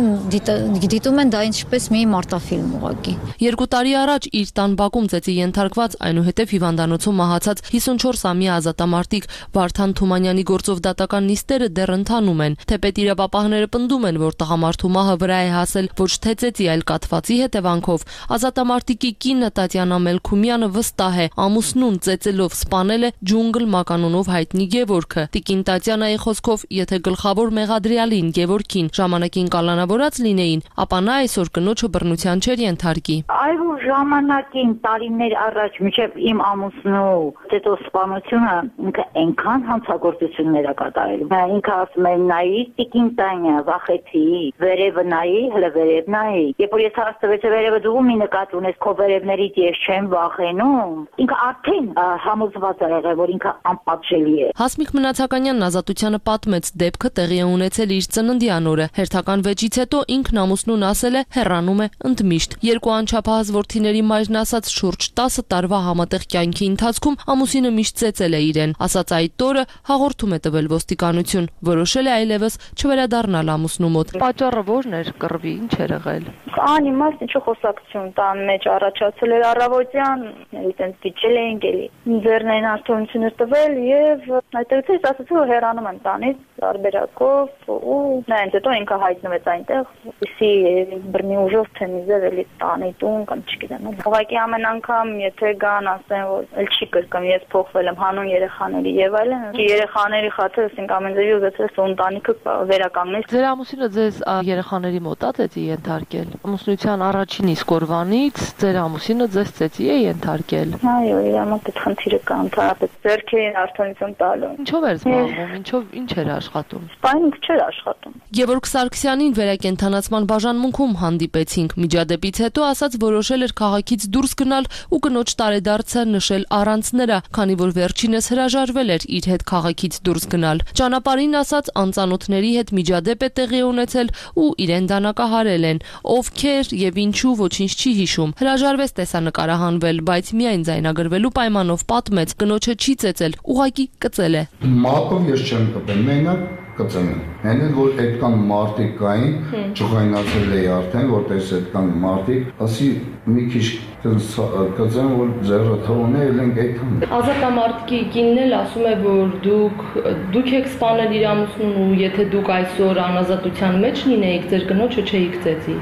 դիտում են դա ինչպես մի մարտաֆիլմ ուղղակի։ 2 տարի առաջ իր տան բակում ծեծի ենթարկված այնուհետև հիվանդանոցում մահացած 54-ամյա ազատամարտիկ Վարդան Թումանյանի գործով դատական նիստերը դեռ ընթանում են։ Թեպետ իրավապահները պնդում են, որ տղամարդու մահը վրա է հասել ոչ թե ծեծի, այլ կաթվածի հետևանքով։ Ազատամարտիկի կինը Տատյանա Մելքումյանը վստահ է, ամուսնուն ծեծելով սպանել է ջունգլ մականունով հայտնի Գևորգը։ Տիկին Տատյանայի խոսքով, եթե գլխավոր մեղադրյալին Գևորգին ժամանակին կալանավորած լինեին, ապա նա այսօր կնոջը բռնության չէր ենթարկի։ Այո, ժամանակին տարիներ առաջ մինչև իմ ամուսնու ծեծոսպանությունը ինքը այնքան հանցագործություններ է կատարել։ Ինքը ասում է նայի տիկին Տանյա, վախեցի, վերևը նայի, հələ վերև նայի։ Երբ որ ես հաստատվեցի վերևը դու մի նկատ ունես քո վերևներից ես չեմ վախենում։ Ինքը արդեն համոզված է եղել, որ ինքը անպատժելի է։ Հասմիկ Մնացականյանն Ազատությանը պատմեց, դեպքը տեղի է ունեցել իր ծննդյան օրը։ Հերթական վեճից հետո ինքն ամուսնուն ասել է հեռանում է ընդմիշտ։ Երկու անչափահաս որդիների մայրն ասաց շուրջ 10 տարվա համատեղ կյանքի ընթացքում ամուսինը միշտ ծեծել է իրեն։ Ասաց այդ օրը հաղորդում է տվել ոստիկանություն, որոշել է այլևս չվերադառնալ ամուսնու մոտ։ Պատճառը ո՞րն էր կռվի, ինչ էր եղել։ Անիմաստ ինչ խոսակցություն տան մեջ առաջացել էր առավոտյան, այտենց դիջել էինք էլի։ Ձեռնային արդյունություն էր տվել եւ այդտեղից ես ասացի որ հեռանում եմ տանից տարբերակով ու նայած հետո ինքը հայտնվեց այնտեղ, իսի բռնի ուժով թե միզեր էլի տանի տուն կամ չգիտեմ։ Ուղղակի ամեն անգամ եթե գան ասեն որ էլ չի կրկն ես փոխվել եմ հանուն երեխաների եւ այլն, երեխաների խաթր ասենք ամեն ձևի ուզեցել է ընտանիքը վերականգնել։ Ձեր ամուսինը ձեզ երեխաների մոտ է ծեծի ենթարկել։ Ամուսնության առաջին իսկ օրվանից ձեր ամուսինը ձեզ ծեծի է ենթարկել։ Այո, իր մոտ այդ խնդիրը կա ընդհանրապես ձեռքերին արդյունություն տալու։ Ինչով էր զբաղվում, ինչ էր աշխատում։ Սպայինք չէր աշխատում։ Գևորգ Սարգսյանին վերակենդանացման բաժանմունքում հանդիպեցինք։ Միջադեպից հետո ասաց որոշել էր քաղաքից դուրս գնալ ու կնոջ տարեդարձը նշել առանց նրա, քանի որ վերջինս հրաժարվել էր իր հետ քաղաքից դուրս գնալ։ Ճանապարհին ասաց անծանոթների հետ միջադեպ է տեղի ունեցել ու իրեն դանակահարել են։ Ովքեր եւ ինչու ոչինչ չի հիշում։ Հրաժարվեց տեսանկարահանվել, բայց միայն ձայնագրվելու պայմանով պատմեց կնոջը չի ծեծել, ուղղակի կծել է։ Մատով ես չեմ կպել, մենակ կծեմ։ Հենց որ այդքան մարդիկ կային, ճղայնացել էի արդեն, որտես այդքան մարդիկ, ասի մի քիչ կծեմ, որ ձեռը թողնել ենք այդքան։ Ազատամարտիկի կինն էլ ասում է, որ դուք եք սպանել իր ամուսնուն ու եթե դուք այսօր անազատության մեջ լինեիք, ձեր կնոջը չէիք ծեծի։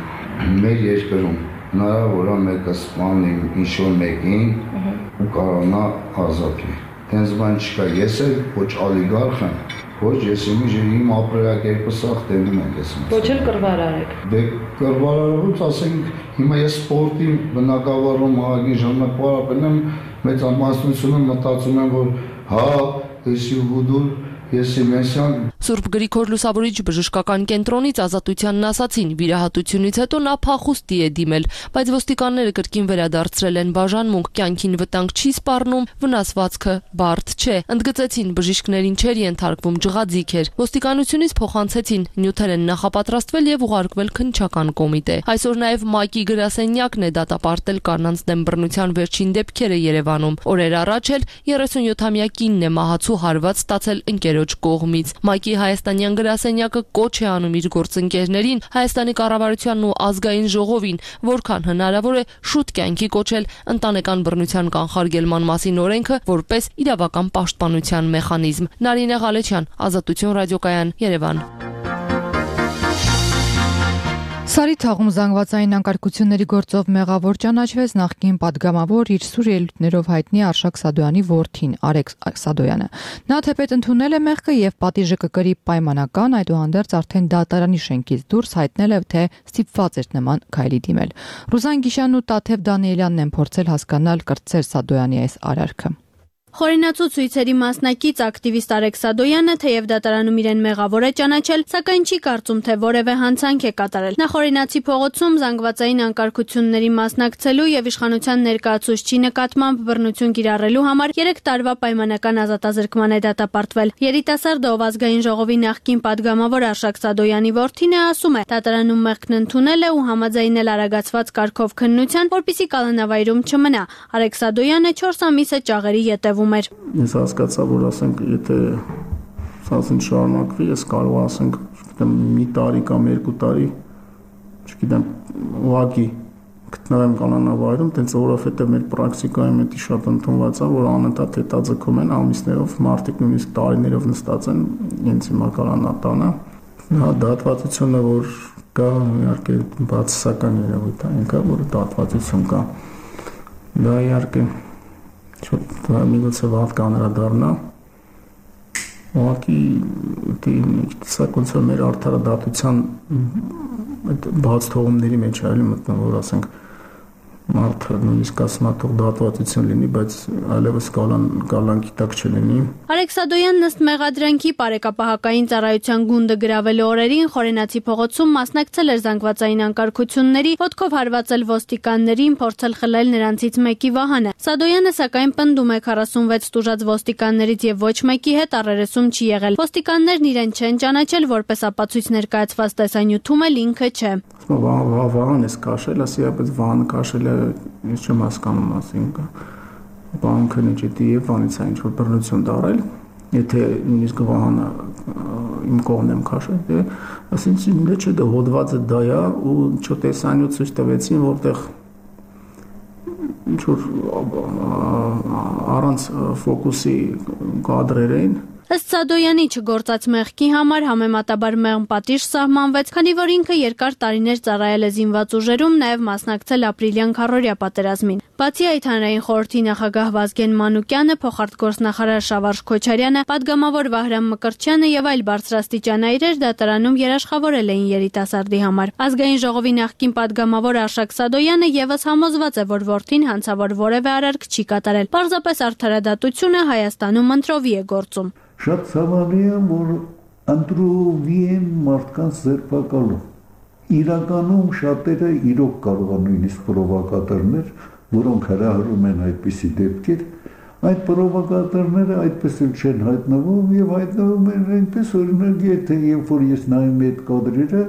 Մեր երկրում հնարավոր է մեկը սպանի ինչ-որ մեկին ու կարողանա ազատի։ Հենց բան չկա, ես էլ ոչ ալիգարխ եմ, ոչ ես իմ ապրելակերպը սաղ տենում եմ ես։ Ոչ էլ կռվարար եք։ Դե կռվարարուց ասենք, հիմա ես սպորտի բնակավարում ահագին ժամանակ պարապել եմ, մեծ ամասնությունը մտածում եմ, որ հա, եսի ու դուր Սուրբ Գրիգոր Լուսավորիչ բժշկական կենտրոնից Ազատությանն ասացին, վիրահատությունից հետո նա փախուստի է դիմել, բայց ոստիկանները կրկին վերադարձրել են բաժանմունք, կյանքին վտանգ չի սպառնում, վնասվածքը բարդ չէ։ Ընդգծեցին, բժիշկներին չէր ենթարկվում, ջղաձիգ էր։ Ոստիկանությունից փոխանցեցին, նյութեր են նախապատրաստվել եւ ուղարկվել քննչական կոմիտե։ Այսօր նաեւ ՄԱԿ-ի գրասենյակն է դատապարտել կանանց դեմ բռնության վերջին դեպքերը Երևանում։ Օրեր առաջ էլ 37-ամյա կինն է մահացու հարված ստացել ընկերոջ կողմից։ ՄԱԿ-ի հայաստանյան գրասենյակը կոչ է անում իր գործընկերներին, Հայաստանի կառավարությանն ու ազգային ժողովին, որքան հնարավոր է շուտ կյանքի կոչել ընտանեկան բռնության կանխարգելման մասին օրենքը որպես իրավական պաշտպանության մեխանիզմ։ Նարինե Ղալեչյան, Ազատություն ռադիոկայան, Երևան։ Սարիթաղում զանգվածային անկարգությունների գործով մեղավոր ճանաչվեց նախկին պատգամավոր իր սուր ելույթներով հայտնի Արշակ Սադոյանի որդին Արեգ Սադոյանը։ Նա թեպետ ընդունել է մեղքը եւ պատիժը կկրի պայմանական, այդուհանդերձ արդեն դատարանի շենքից դուրս հայտնել է, թե ստիպված էր նման քայլի դիմել։ Ռուզան Գիշյանն ու Տաթև Դանիելյանն են փորձել հասկանալ կրտսեր Սադոյանի այս արարքը։ Խորենացու ցույցերի մասնակից ակտիվիստ Արեգ Սադոյանը թեև դատարանում իրեն մեղավոր է ճանաչել, սակայն չի կարծում, թե որևէ հանցանք է կատարել։ Նա Խորենացի փողոցում զանգվածային անկարգությունների մասնակցելու եւ իշխանության ներկայացուցչի նկատմամբ բռնություն կիրառելու համար 3 տարվա պայմանական ազատազրկման է դատապարտվել։ Երիտասարդը, ով ազգային ժողովի նախկին պատգամավոր Արշակ Սադոյանի որդին է, ասում է, դատարանում մեղքն ընդունել է ու համաձայնել արագացված կարգով քննության, որպեսզի կալանավայրում չմնա։ Արեգ Սադոյանը 4 ամիս է ճաղերի ետևում էր։ Ես հասկացա, որ ասենք, եթե սազին շարունակվի, ես կարող ասենք, չգիտեմ, մի տարի կամ 2 տարի, չգիտեմ, ուղղակի գտնվեմ կալանավայրում, տենց որովհետև մեր պրակտիկայում էդի շատ ընդունված է, որ անընդհատ հետաձգում են ամիսներով, մարդիկ նույնիսկ տարիներով նստած են ինձ հիմա կալանատանը։ Հա, դատվածությունը, որ կա, իհարկե բացասական երևույթ է, ինքը, որ դատվածություն կա։ Դա իհարկե միգուցե վատ կանրադառնա, ուղղակի սակոնցը մեր արդարադատության բաց թողումների մեջ այլ մտնում, որ ասենք մարդը նույնիսկ ասում է թող դատվածություն լինի, բայց այլևս կալանքի տակ չլինի։ Արեգ Սադոյանն ըստ մեղադրանքի բարեկապահական ծառայության գունդը գրավելու օրերին Խորենացի փողոցում մասնակցել էր զանգվածային անկարգությունների, ոտքով հարվածել ոստիկաններին, փորձել խլել նրանցից մեկի վահանը։ Սադոյանը սակայն պնդում է 46 տուժած ոստիկաններից եւ ոչ մեկի հետ առերեսում չի եղել։ Ոստիկաններն իրեն չեն ճանաչել, որպես ապացույց ներկայացված տեսանյութում էլ ինքը չէ։ Վահան ես քաշել, ասիապես վահանը քաշել է, ես չեմ հասկանում, ասինքն բանկը նիչետի եւ վանից է ինչ-որ բռնություն դարել, եթե նույնիսկ վահանը իմ կողմն եմ քաշել, դե ասինքն ինչի՞ դա հոդվածը դա է ու չտեսանյութ ցույց տվեցին, որտեղ ինչ-որ առանց ֆոկուսի կադրեր էին։ Ըստ Սադոյանի չգործած մեղքի համար համեմատաբար մեղմ պատիժ սահմանվեց, քանի որ ինքը երկար տարիներ ծառայել է զինված ուժերում, նաև մասնակցել ապրիլյան քառորյա պատերազմին։ Բացի այդ, հանրային խորհրդի նախագահ Վազգեն Մանուկյանը, փոխարտգործնախարար Շավարժ Քոչարյանը, պատգամավոր Վահրամ Մկրտչյանը եւ այլ բարձրաստիճան այրեր դատարանում երաշխավորել էին երիտասարդի համար։ Ազգային ժողովի նախկին պատգամավոր Արշակ Սադոյանը եւս համոզված է, որ որդին հանցավոր որևէ արարք չի կատարել։ Պարզապես արդարադատությունը Հայաստանում ընտրովի է գործում։ Շատ ցավալի է, որ ընտրովի են մարդկանց ձերբակալում։ Իրականում շատերը իրոք կարող են նույնիսկ պրովոկատորներ, որոնք հրահրում են այդպիսի դեպքեր, այդ պրովոկատորները այդպես էլ չեն հայտնվում եւ հայտնվում են այնպես, օրինակ, եթե երբ որ ես նայում եմ այդ կադրերը,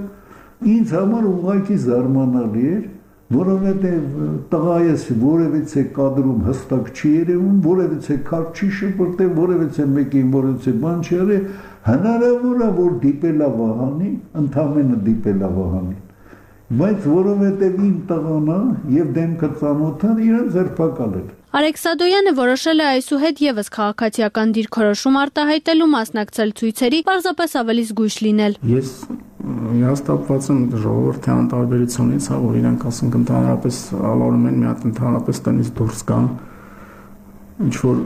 ինձ համար ուղղակի զարմանալի էր, որովհետև տղայս որևիցե կադրում հստակ չի երևում, որևիցե քարտ չի շպրտել, որևիցե մեկին որևիցե բան չի արել, հնարավոր է որ դիպելա վահանին, ընդամենը դիպելա վահանին, բայց որովհետև իմ տղան է եւ դեմքը ծանոթ է, իրեն ձերբակալել։ Արեգ Սադոյանը որոշել է այսուհետ եւս քաղաքացիական դիրքորոշում արտահայտելու մասնակցել ցույցերի, պարզապես ավելի զգույշ լինել։ Ես հաստատված եմ ժողովրդի անտարբերությունից, որ իրանք ասենք ընդհանրապես ալարում են մի հատ ընդհանրապես տնից դուրս գան, ինչ որ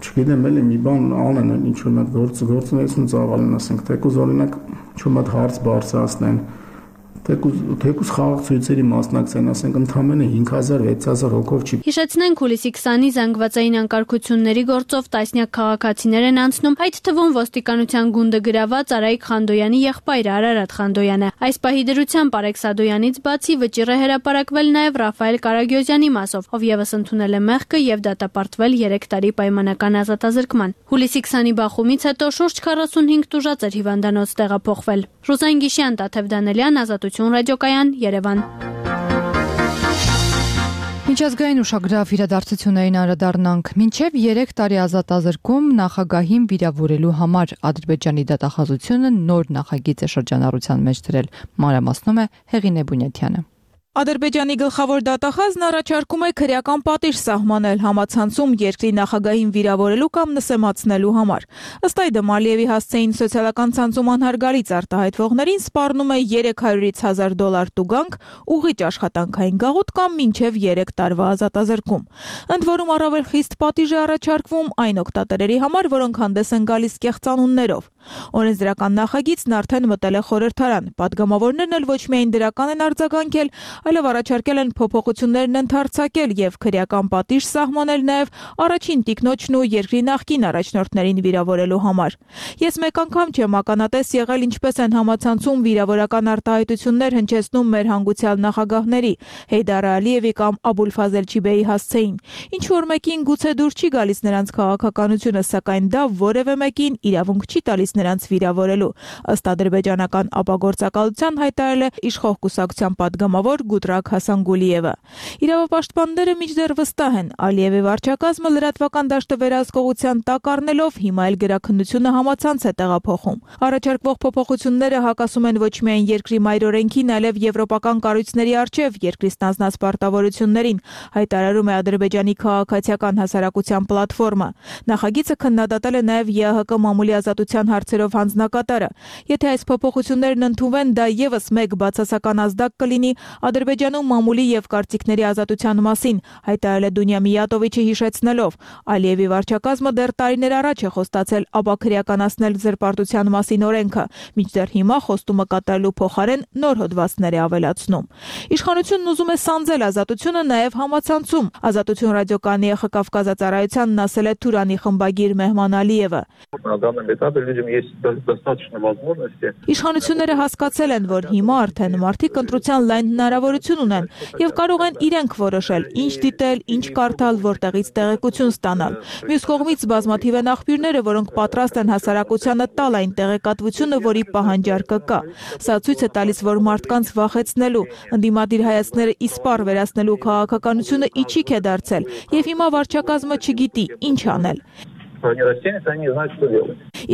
չգիտեմ էլի մի բան անեն, ինչ որ մի գործունեություն ծավալեն, ասենք թեկուզ օրինակ ինչ որ մի հարց բարձրացնեն, Թեկուզ խաղաղ ցույցերի մասնակցեն, ասենք ընդամենը 5000-6000 հոգով չի։ Հիշեցնենք, հուլիսի 20-ի զանգվածային անկարգությունների գործով տասնյակ քաղաքացիներ են անցնում, այդ թվում ոստիկանության գունդը գրաված Արայիկ Խանդոյանի եղբայրը Արարատ Խանդոյանը։ Այս պահի դրությամբ Արեգ Սադոյանից բացի վճիռ է հրապարակվել նաև Ռաֆայել Կարագյոզյանի մասով, ով եւս ընդունել է մեղքը եւ դատապարտվել 3 տարի պայմանական ազատազրկման։ Հուլիսի 20-ի բախումից հետո շուրջ 45 տուժած էր հիվանդանոց տեղափոխվել։ Ռուզան Գիշյան, Տաթև Դանելյան, Ազատություն ռադիոկայան, Երևան։ Միջազգային ուշագրավ իրադարձություններին անդրադառնանք։ Մինչև 3 տարի ազատազրկում նախագահին վիրավորելու համար Ադրբեջանի դատախազությունը նոր նախագիծ է շրջանառության մեջ դրել։ Մանրամասնում է Հեղինե Բունյաթյանը։ Ադրբեջանի գլխավոր դատախազն առաջարկում է քրեական պատիժ սահմանել համացանցում երկրի նախագահին վիրավորելու կամ նսեմացնելու համար։ Ըստ այդմ Ալիևի հասցեին սոցիալական ցանցում անհարգալից արտահայտվողներին սպառնում է $300,000 տուգանք, ուղիճ աշխատանքային գաղութ կամ մինչև 3 տարվա ազատազրկում։ Ընդ որում առավել խիստ պատիժ է առաջարկվում այն օգտատերերի համար, որոնք հանդես են գալիս կեղծանուններով։ Օրենսդրական նախագիծն արդեն մտել է խորհրդարան։ Պատգամավորներն էլ ոչ միայն դրական են արձագանքել, այլև առաջարկել են փոփոխություններն ընդարձակել եւ քրեական պատիժ սահմանել նաեւ առաջին տիկնոջն ու երկրի նախկին առաջնորդներին վիրավորելու համար։ Ես մեկ անգամ չեմ ականատես եղել, ինչպես են համացանցում վիրավորական արտահայտություններ հնչեցնում մեր հանգուցյալ նախագահների Հեյդար Ալիևի կամ Աբուլֆազել Չիբեի հասցեին։ Ինչ որ մեկին գուցե դուր չի գալիս նրանց քաղաքականությունը, սակայն դա որևէ մեկին իրավունք չի տալիս նրանց վիրավորելու, ըստ ադրբեջանական ապագործակալության հայտարարել է իշխող կուսակցության պատգամավոր Գուտրակ Հասանգուլիևը։ Իրավապաշտպանները մինչդեռ վստահ են, Ալիևի վարչակազմը լրատվական դաշտը վերահսկողության տակ առնելով հիմա էլ գրաքննությունը համացանց է տեղափոխում։ Առաջարկվող փոփոխությունները հակասում են ոչ միայն երկրի մայրօրենքին, այլև եվրոպական կառույցների առջև երկրի ստանձնած պարտավորություններին, հայտարարում է Ադրբեջանի քաղաքացիական հասարակության պլատֆորմը։ Նախագիծը քննադատել է նաև ԵԱՀԿ մամուլի ազատության հարցերով հանձնակատարը։ Եթե այս փոփոխություններն ընդունվեն, դա եւս մեկ բացասական ազդակ կլինի Ադրբեջանում մամուլի եւ կարծիքների ազատության մասին, հայտարարել է Դունյա Միյատովիչը հիշեցնելով. Ալիևի վարչակազմը դեռ տարիներ առաջ է խոստացել ապաքրեականացնել զրպարտության մասին օրենքը, մինչդեռ հիմա խոստումը կատարելու փոխարեն նոր հոդվածներ է ավելացնում։ Իշխանությունն ուզում է սանձել ազատությունը նաև համացանցում։ Ազատություն ռադիոկայանի Կավկազածառայությանն ասել է Թուրանի խմբագիր Մեհման Ալիևը։ Իշխանությունները հասկացել են, որ հիմա արդեն մարդիկ ընտրության լայն հնարավորություն ունեն եւ կարող են իրենք որոշել, ինչ դիտել, ինչ կարդալ, որտեղից տեղեկություն ստանալ։ Մյուս կողմից բազմաթիվ են աղբյուրները, որոնք պատրաստ են հասարակությանը տալ այն տեղեկատվությունը, որի պահանջարկը կա։ Սա ցույց է տալիս, որ մարդկանց վախեցնելու, ընդդիմադիր հայացքները իսպառ վերացնելու քաղաքականությունը իջիկ է դարձել եւ հիմա վարչակազմը չգիտի ինչ անել։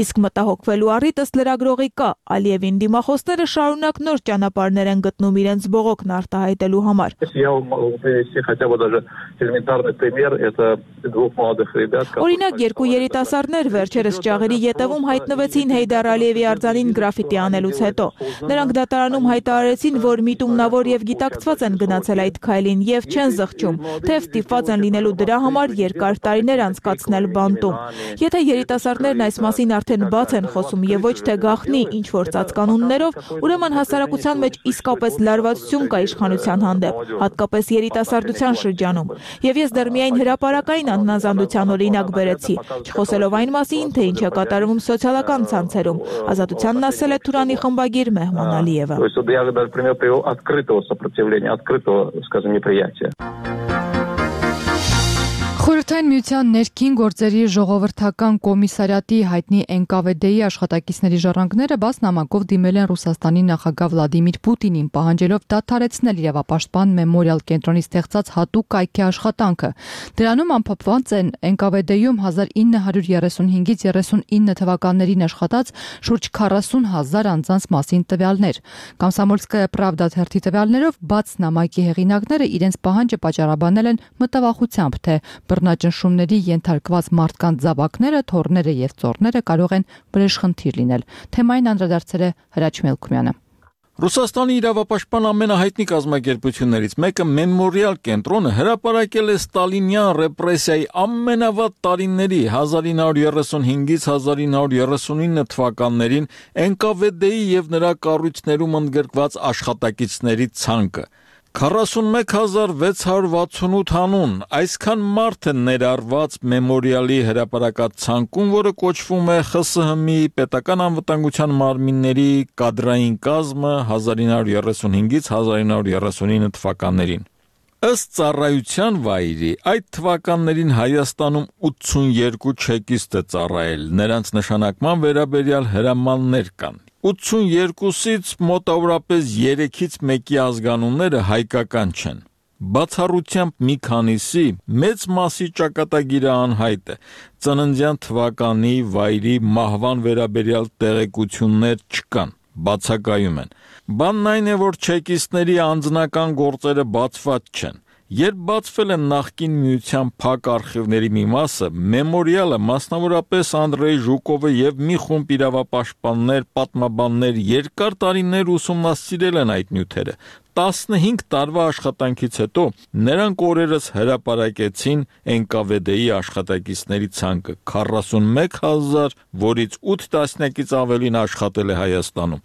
Իսկ մտահոգվելու առիթ ըստ լրագրողի կա, Ալիևին դիմախոսները շարունակ նոր ճանապարհներ են գտնում իրենց բողոքն արտահայտելու համար։ Օրինակ, երկու երիտասարդներ վերջերս ճաղերի ետևում հայտնվեցին Հեյդար Ալիևի արձանին գրաֆիտի անելուց հետո։ Նրանք դատարանում հայտարարեցին, որ միտումնավոր եւ գիտակցված են գնացել այդ քայլին եւ չեն զղջում, թեև ստիպված են լինելու դրա համար երկար տարիներ անցկացնել բանտում։ Եթե երիտասարդներն այս մասին արդեն բաց են խոսում եւ ոչ թե գաղտնի ինչ որ ծածկանուններով, ուրեմն հասարակության մեջ իսկապես լարվածություն կա իշխանության հանդեպ, հատկապես երիտասարդության շրջանում։ Եվ ես դեռ միայն հրապարակային անհնազանդության օրինակ բերեցի, չխոսելով այն մասին, թե ինչ է կատարվում սոցիալական ցանցերում։ Ազատությանն ասել է Թուրանի խմբագիր Մեհման Ալիևը։ Խորհրդային միության ներքին գործերի ժողովրդական կոմիսարիատի հայտնի NKVD-ի աշխատակիցների ժառանգները բաց նամակով դիմել են Ռուսաստանի նախագահ Վլադիմիր Պուտինին, պահանջելով դադարեցնել իրավապաշտպան մեմորիալ կենտրոնի ստեղծած հատուկ կայքի աշխատանքը։ Դրանում ամփոփված են NKVD-ում 1935-ից 39 թվականներին աշխատած շուրջ 40,000 անձանց մասին տվյալներ։ Կոմսոմոլսկայա Պրավդա թերթի տվյալներով բաց նամակի հեղինակները իրենց պահանջը պատճառաբանել են մտավախությամբ, թե բռնաճնշումների ենթարկված մարդկանց զավակները, թոռները եւ ծոռները կարող են վրեժխնդիր լինել։ Թեմային անդրադարձել է Հրաչ Մելքումյանը։ Ռուսաստանի իրավապաշտպան ամենահայտնի կազմակերպություններից մեկը Մեմորիալ կենտրոնը հրապարակել է ստալինյան ռեպրեսիայի ամենավատ տարիների 1935-ից 1939 թվականներին NKVD-ի եւ նրա կառույցներում ընդգրկված աշխատակիցների ցանկը 41668 անուն, այսքան մարդ է ներառված Մեմորիալի հրապարակած ցանկում, որը կոչվում է ԽՍՀՄ-ի պետական անվտանգության մարմինների կադրային կազմը 1935-ից 1939 թվականներին։ Ըստ ծառայության վայրի, այդ թվականներին Հայաստանում 82 չեկիստ է ծառայել, նրանց նշանակման վերաբերյալ հրամաններ կան։ 82-ից մոտավորապես 3-ից 1-ի ազգանունները հայկական չեն։ Բացառությամբ մի քանիսի մեծ մասի ճակատագիրը անհայտ է, ծննդյան թվականի վայրի մահվան վերաբերյալ տեղեկություններ չկան, բացակայում են։ Բանն այն է, որ չեկիստների անձնական գործերը բացված չեն։ Երբ բացվել են նախկին միության փակ արխիվների մի մասը, Մեմորիալը, մասնավորապես Անդրեյ Ժուկովը եւ մի խումբ իրավապաշտպաններ, պատմաբաններ երկար տարիներ ուսումնասիրել են այդ նյութերը։ 15 տարվա աշխատանքից հետո նրանք օրերս հրապարակեցին NKVD-ի աշխատակիցների ցանկը 41000, որից 8 տասնյակից ավելին աշխատել է Հայաստանում։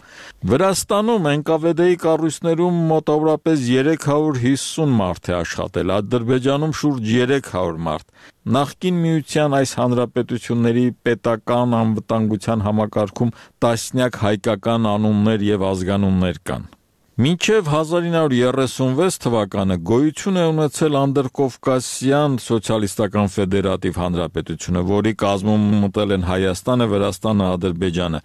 Վրաստանում NKVD-ի կառույցներում մոտավորապես 350 մարդ է աշխատել, Ադրբեջանում շուրջ 300 մարդ։ Նախկին միության այս հանրապետությունների պետական անվտանգության համակարգում տասնյակ հայկական անուններ եւ ազգանուններ կան։ Մինչև 1936 թվականը գոյություն է ունեցել Անդրկովկասյան սոցիալիստական ֆեդերատիվ հանրապետությունը, որի կազմում մտել են Հայաստանը, Վրաստանը, Ադրբեջանը։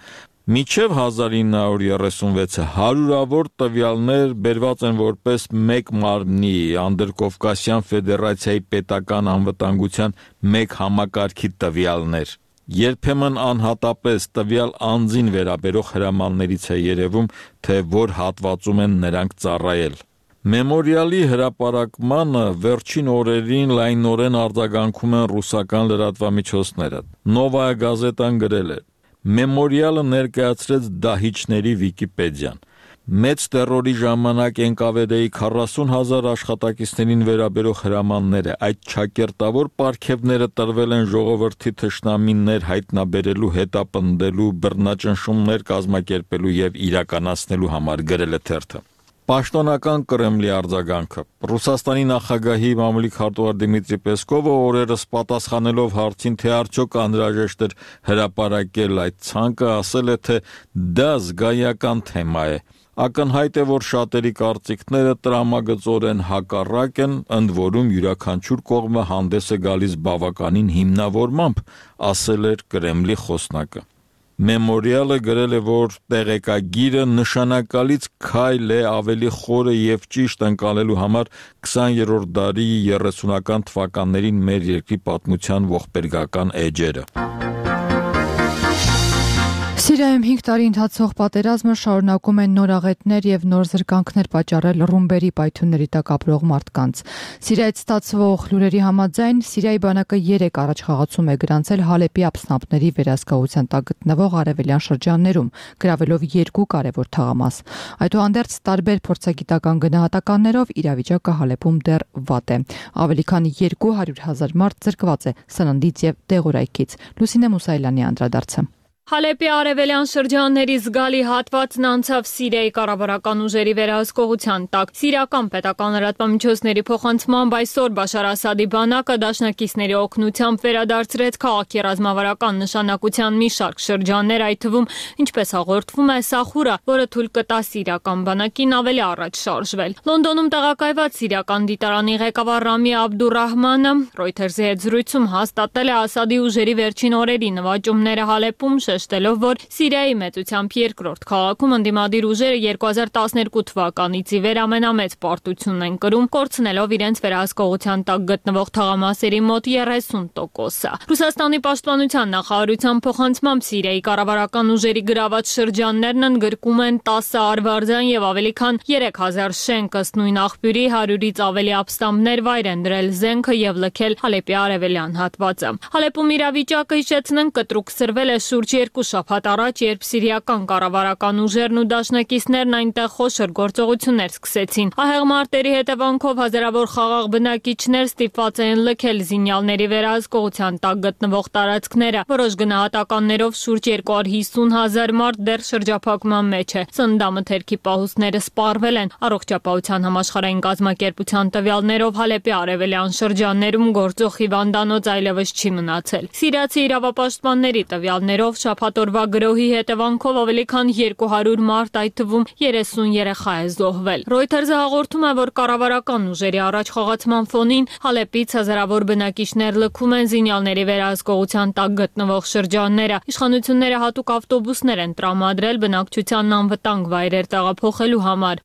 Մինչև 1936-ը հարյուրավոր տվյալներ բերված են որպես մեկ մարմնի Անդրկովկասյան ֆեդերացիայի պետական անվտանգության մեկ համակարգի տվյալներ։ Երբեմն անհատապես տվյալ անձին վերաբերող հրամաններից է երևում, թե որ հատվածում են նրանք ծառայել։ Մեմորիալի հրապարակմանը վերջին օրերին լայնորեն արձագանքում են ռուսական լրատվամիջոցները։ Նովայա գազետան գրել է. Մեմորիալը ներկայացրեց դահիճների Վիկիպեդիան։ Մեծ տերորի ժամանակ NKVD-ի 40,000 աշխատակիցներին վերաբերող հրամանները, այդ չակերտավոր պարգևները տրվել են ժողովրդի թշնամիներ հայտնաբերելու, հետապնդելու, բռնաճնշումներ կազմակերպելու եւ իրականացնելու համար, գրել է թերթը։ Պաշտոնական Կրեմլի արձագանքը։ Ռուսաստանի նախագահի մամուլիկ հարտուղար Դիմիտրի Պեսկովը օրերս պատասխանելով հարցին, թե արդյոք անհրաժեշտ էր հրապարակել այդ ցանկը, ասել է, թե դա զգայական թեմա է։ Ակնհայտ է, որ շատերի կարծիքները տրամագծորեն հակառակ են, ընդ որում յուրաքանչյուր կողմը հանդես է գալիս բավականին հիմնավորմամբ, ասել էր Կրեմլի խոսնակը։ Մեմորիալը գրել է, որ տեղեկագիրը նշանակալից քայլ է ավելի խորը եւ ճիշտ ընկալելու համար 20-րդ դարի 30-ական թվականներին մեր երկրի պատմության ողբերգական էջերը։ Սիրիայում 5 տարի ընթացող պատերազմը շարունակում են նոր աղետներ եւ նոր զրկանքներ պատճառել ռումբերի պայթյունների տակ ապրող մարդկանց։ Սիրիայից ստացվող լուրերի համաձայն Սիրիայի բանակը 3 առաջխաղացում է գրանցել Հալեպի ապստամբների վերահսկողության տակ գտնվող արևելյան շրջաններում, գրավելով 2 կարևոր թաղամաս։ Այդուհանդերձ տարբեր փորձագիտական գնահատականներով իրավիճակը Հալեպում դեռ վատ է։ Ավելի քան 200,000 մարդ զրկված է սննդից եւ դեղորայքից։ Լուսինե Մուսայելյանի անդրադարձը։ Հալեպի արևելյան շրջանների զգալի հատվածն անցավ Սիրիայի կառավարական ուժերի վերահսկողության տակ։ Սիրիական պետական լրատվամիջոցների փոխանցմամբ այսօր Բաշար Ասադի բանակը դաշնակիցների օգնությամբ վերադարձրեց քաղաքի ռազմավարական նշանակության մի շարք շրջաններ, այդ թվում, ինչպես հաղորդվում է, Սախուրա, որը թույլ կտա սիրիական բանակին ավելի առաջ շարժվել։ Լոնդոնում տեղակայված սիրիական դիտարանի ղեկավար Ռամի Աբդուրահմանը Reuters-ի հետ զրույցում հաստատել է Ասադի ուժերի վերջին օրերի նվաճումները Հալեպում, շեշտելով, որ Սիրիայի մեծությամբ երկրորդ քաղաքում ընդդիմադիր ուժերը 2012 թվականից ի վեր ամենամեծ պարտությունն են կրում, կորցնելով իրենց վերահսկողության տակ գտնվող թաղամասերի մոտ 30%-ը։ Ռուսաստանի պաշտպանության նախարարության փոխանցմամբ Սիրիայի կառավարական ուժերի գրաված շրջաններն ընդգրկում են 10 արվարձան եւ ավելի քան 3000 շենք, ըստ նույն աղբյուրի 100-ից ավելի ապստամբներ վայր են դրել զենքը եւ լքել Հալեպի արևելյան հատվածը։ Հալեպում իրավիճակը, հիշեցնենք, կտրուկ սրվել է շուրջ 2 շաբաթ առաջ, երբ սիրիական կառավարական ուժերն ու դաշնակիցներն այնտեղ խոշոր գործողություններ սկսեցին։ Ահեղ մարտերի հետևանքով հազարավոր խաղաղ բնակիչներ ստիպված են լքել զինյալների վերահսկողության տակ գտնվող տարածքները։ Որոշ գնահատականներով շուրջ 250,000 մարդ դեռ շրջափակման մեջ է։ Սննդամթերքի պահուստները սպառվել են։ Առողջապահության համաշխարհային կազմակերպության տվյալներով Հալեպի արևելյան շրջաններում գործող հիվանդանոց այլևս չի մնացել։ Սիրիացի իրավապաշտպանների տվյալներով շաբաթօրվա գրոհի հետևանքով ավելի քան 200 մարդ, այդ թվում 30 երեխա է զոհվել։ Reuters-ը հաղորդում է, որ կառավարական ուժերի առաջխաղացման ֆոնին Հալեպից հազարավոր բնակիչներ լքում են զինյալների վերահսկողության տակ գտնվող շրջանները։ Իշխանությունները հատուկ ավտոբուսներ են տրամադրել բնակչությանն անվտանգ վայրեր տեղափոխելու համար։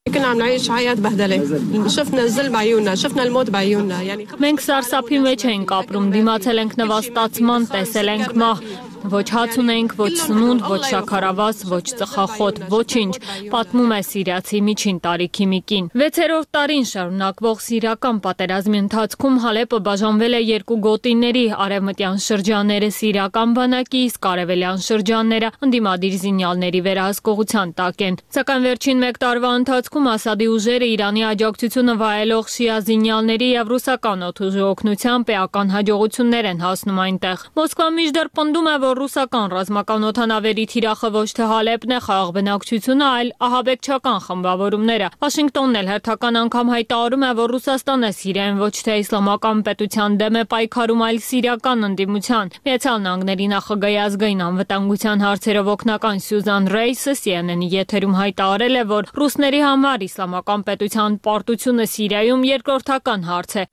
Մենք սարսափի մեջ ենք ապրում, դիմացել ենք նվաստացման, տեսել ենք մահ։ Ոչ հաց ունենք, ոչ սնունդ, ոչ շաքարավազ, ոչ ծխախոտ, ոչինչ, պատմում է սիրիացի միջին տարիքի մի կին։ 6-րդ տարին շարունակվող սիրիական պատերազմի ընթացքում Հալեպը բաժանվել է 2 գոտիների, արևմտյան շրջանները սիրիական բանակի, իսկ արևելյան շրջանները ընդդիմադիր զինյալների վերահսկողության տակ են։ Սակայն վերջին 1 տարվա ընթացքում Ասադի ուժերը Իրանի աջակցությունը վայելող շիա զինյալների եւ ռուսական օդուժի օգնությամբ էական հաջողություններ են հասնում այնտեղ։ Մոսկվան մինչդեռ պնդում է, որ ռուսական ռազմական օդանավերի թիրախը ոչ թե Հալեպն է, խաղաղ բնակչությունը, այլ ահաբեկչական խմբավորումները։ Վաշինգտոնն էլ հերթական անգամ հայտարարում է, որ Ռուսաստանը Սիրիայում ոչ թե իսլամական պետության դեմ է պայքարում, այլ սիրիական ընդդիմության։ Միացյալ Նահանգների նախագահի ազգային անվտանգության հարցերով օգնական Սյուզան Ռեյսը CNN-ի եթերում հայտարարել է, որ ռուսների համար իսլամական պետության պարտությունը Սիրիայում երկրորդական հարց է։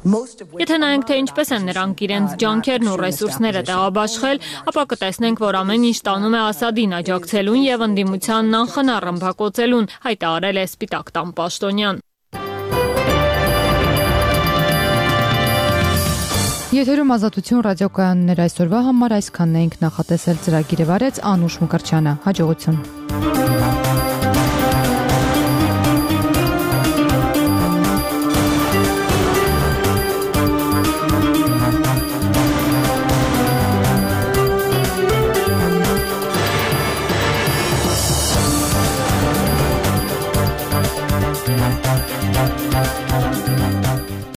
Եթե նայենք, թե ինչպես են նրանք իրենց ջանքերն ու ռեսուրսները տեղաբաշխել, ապա կտեսնենք, որ ամեն ինչ տանում է Ասադին աջակցելուն եւ ընդդիմությանն անխնա ռմբակոծելուն, հայտարարել է Սպիտակ տան պաշտոնյան։ Եթերում Ազատություն ռադիոկայաններ այսօրվա համար այսքանն էինք նախատեսել, ծրագիրը վարեց Անուշ Մկրտչյանը։ Հաջողություն։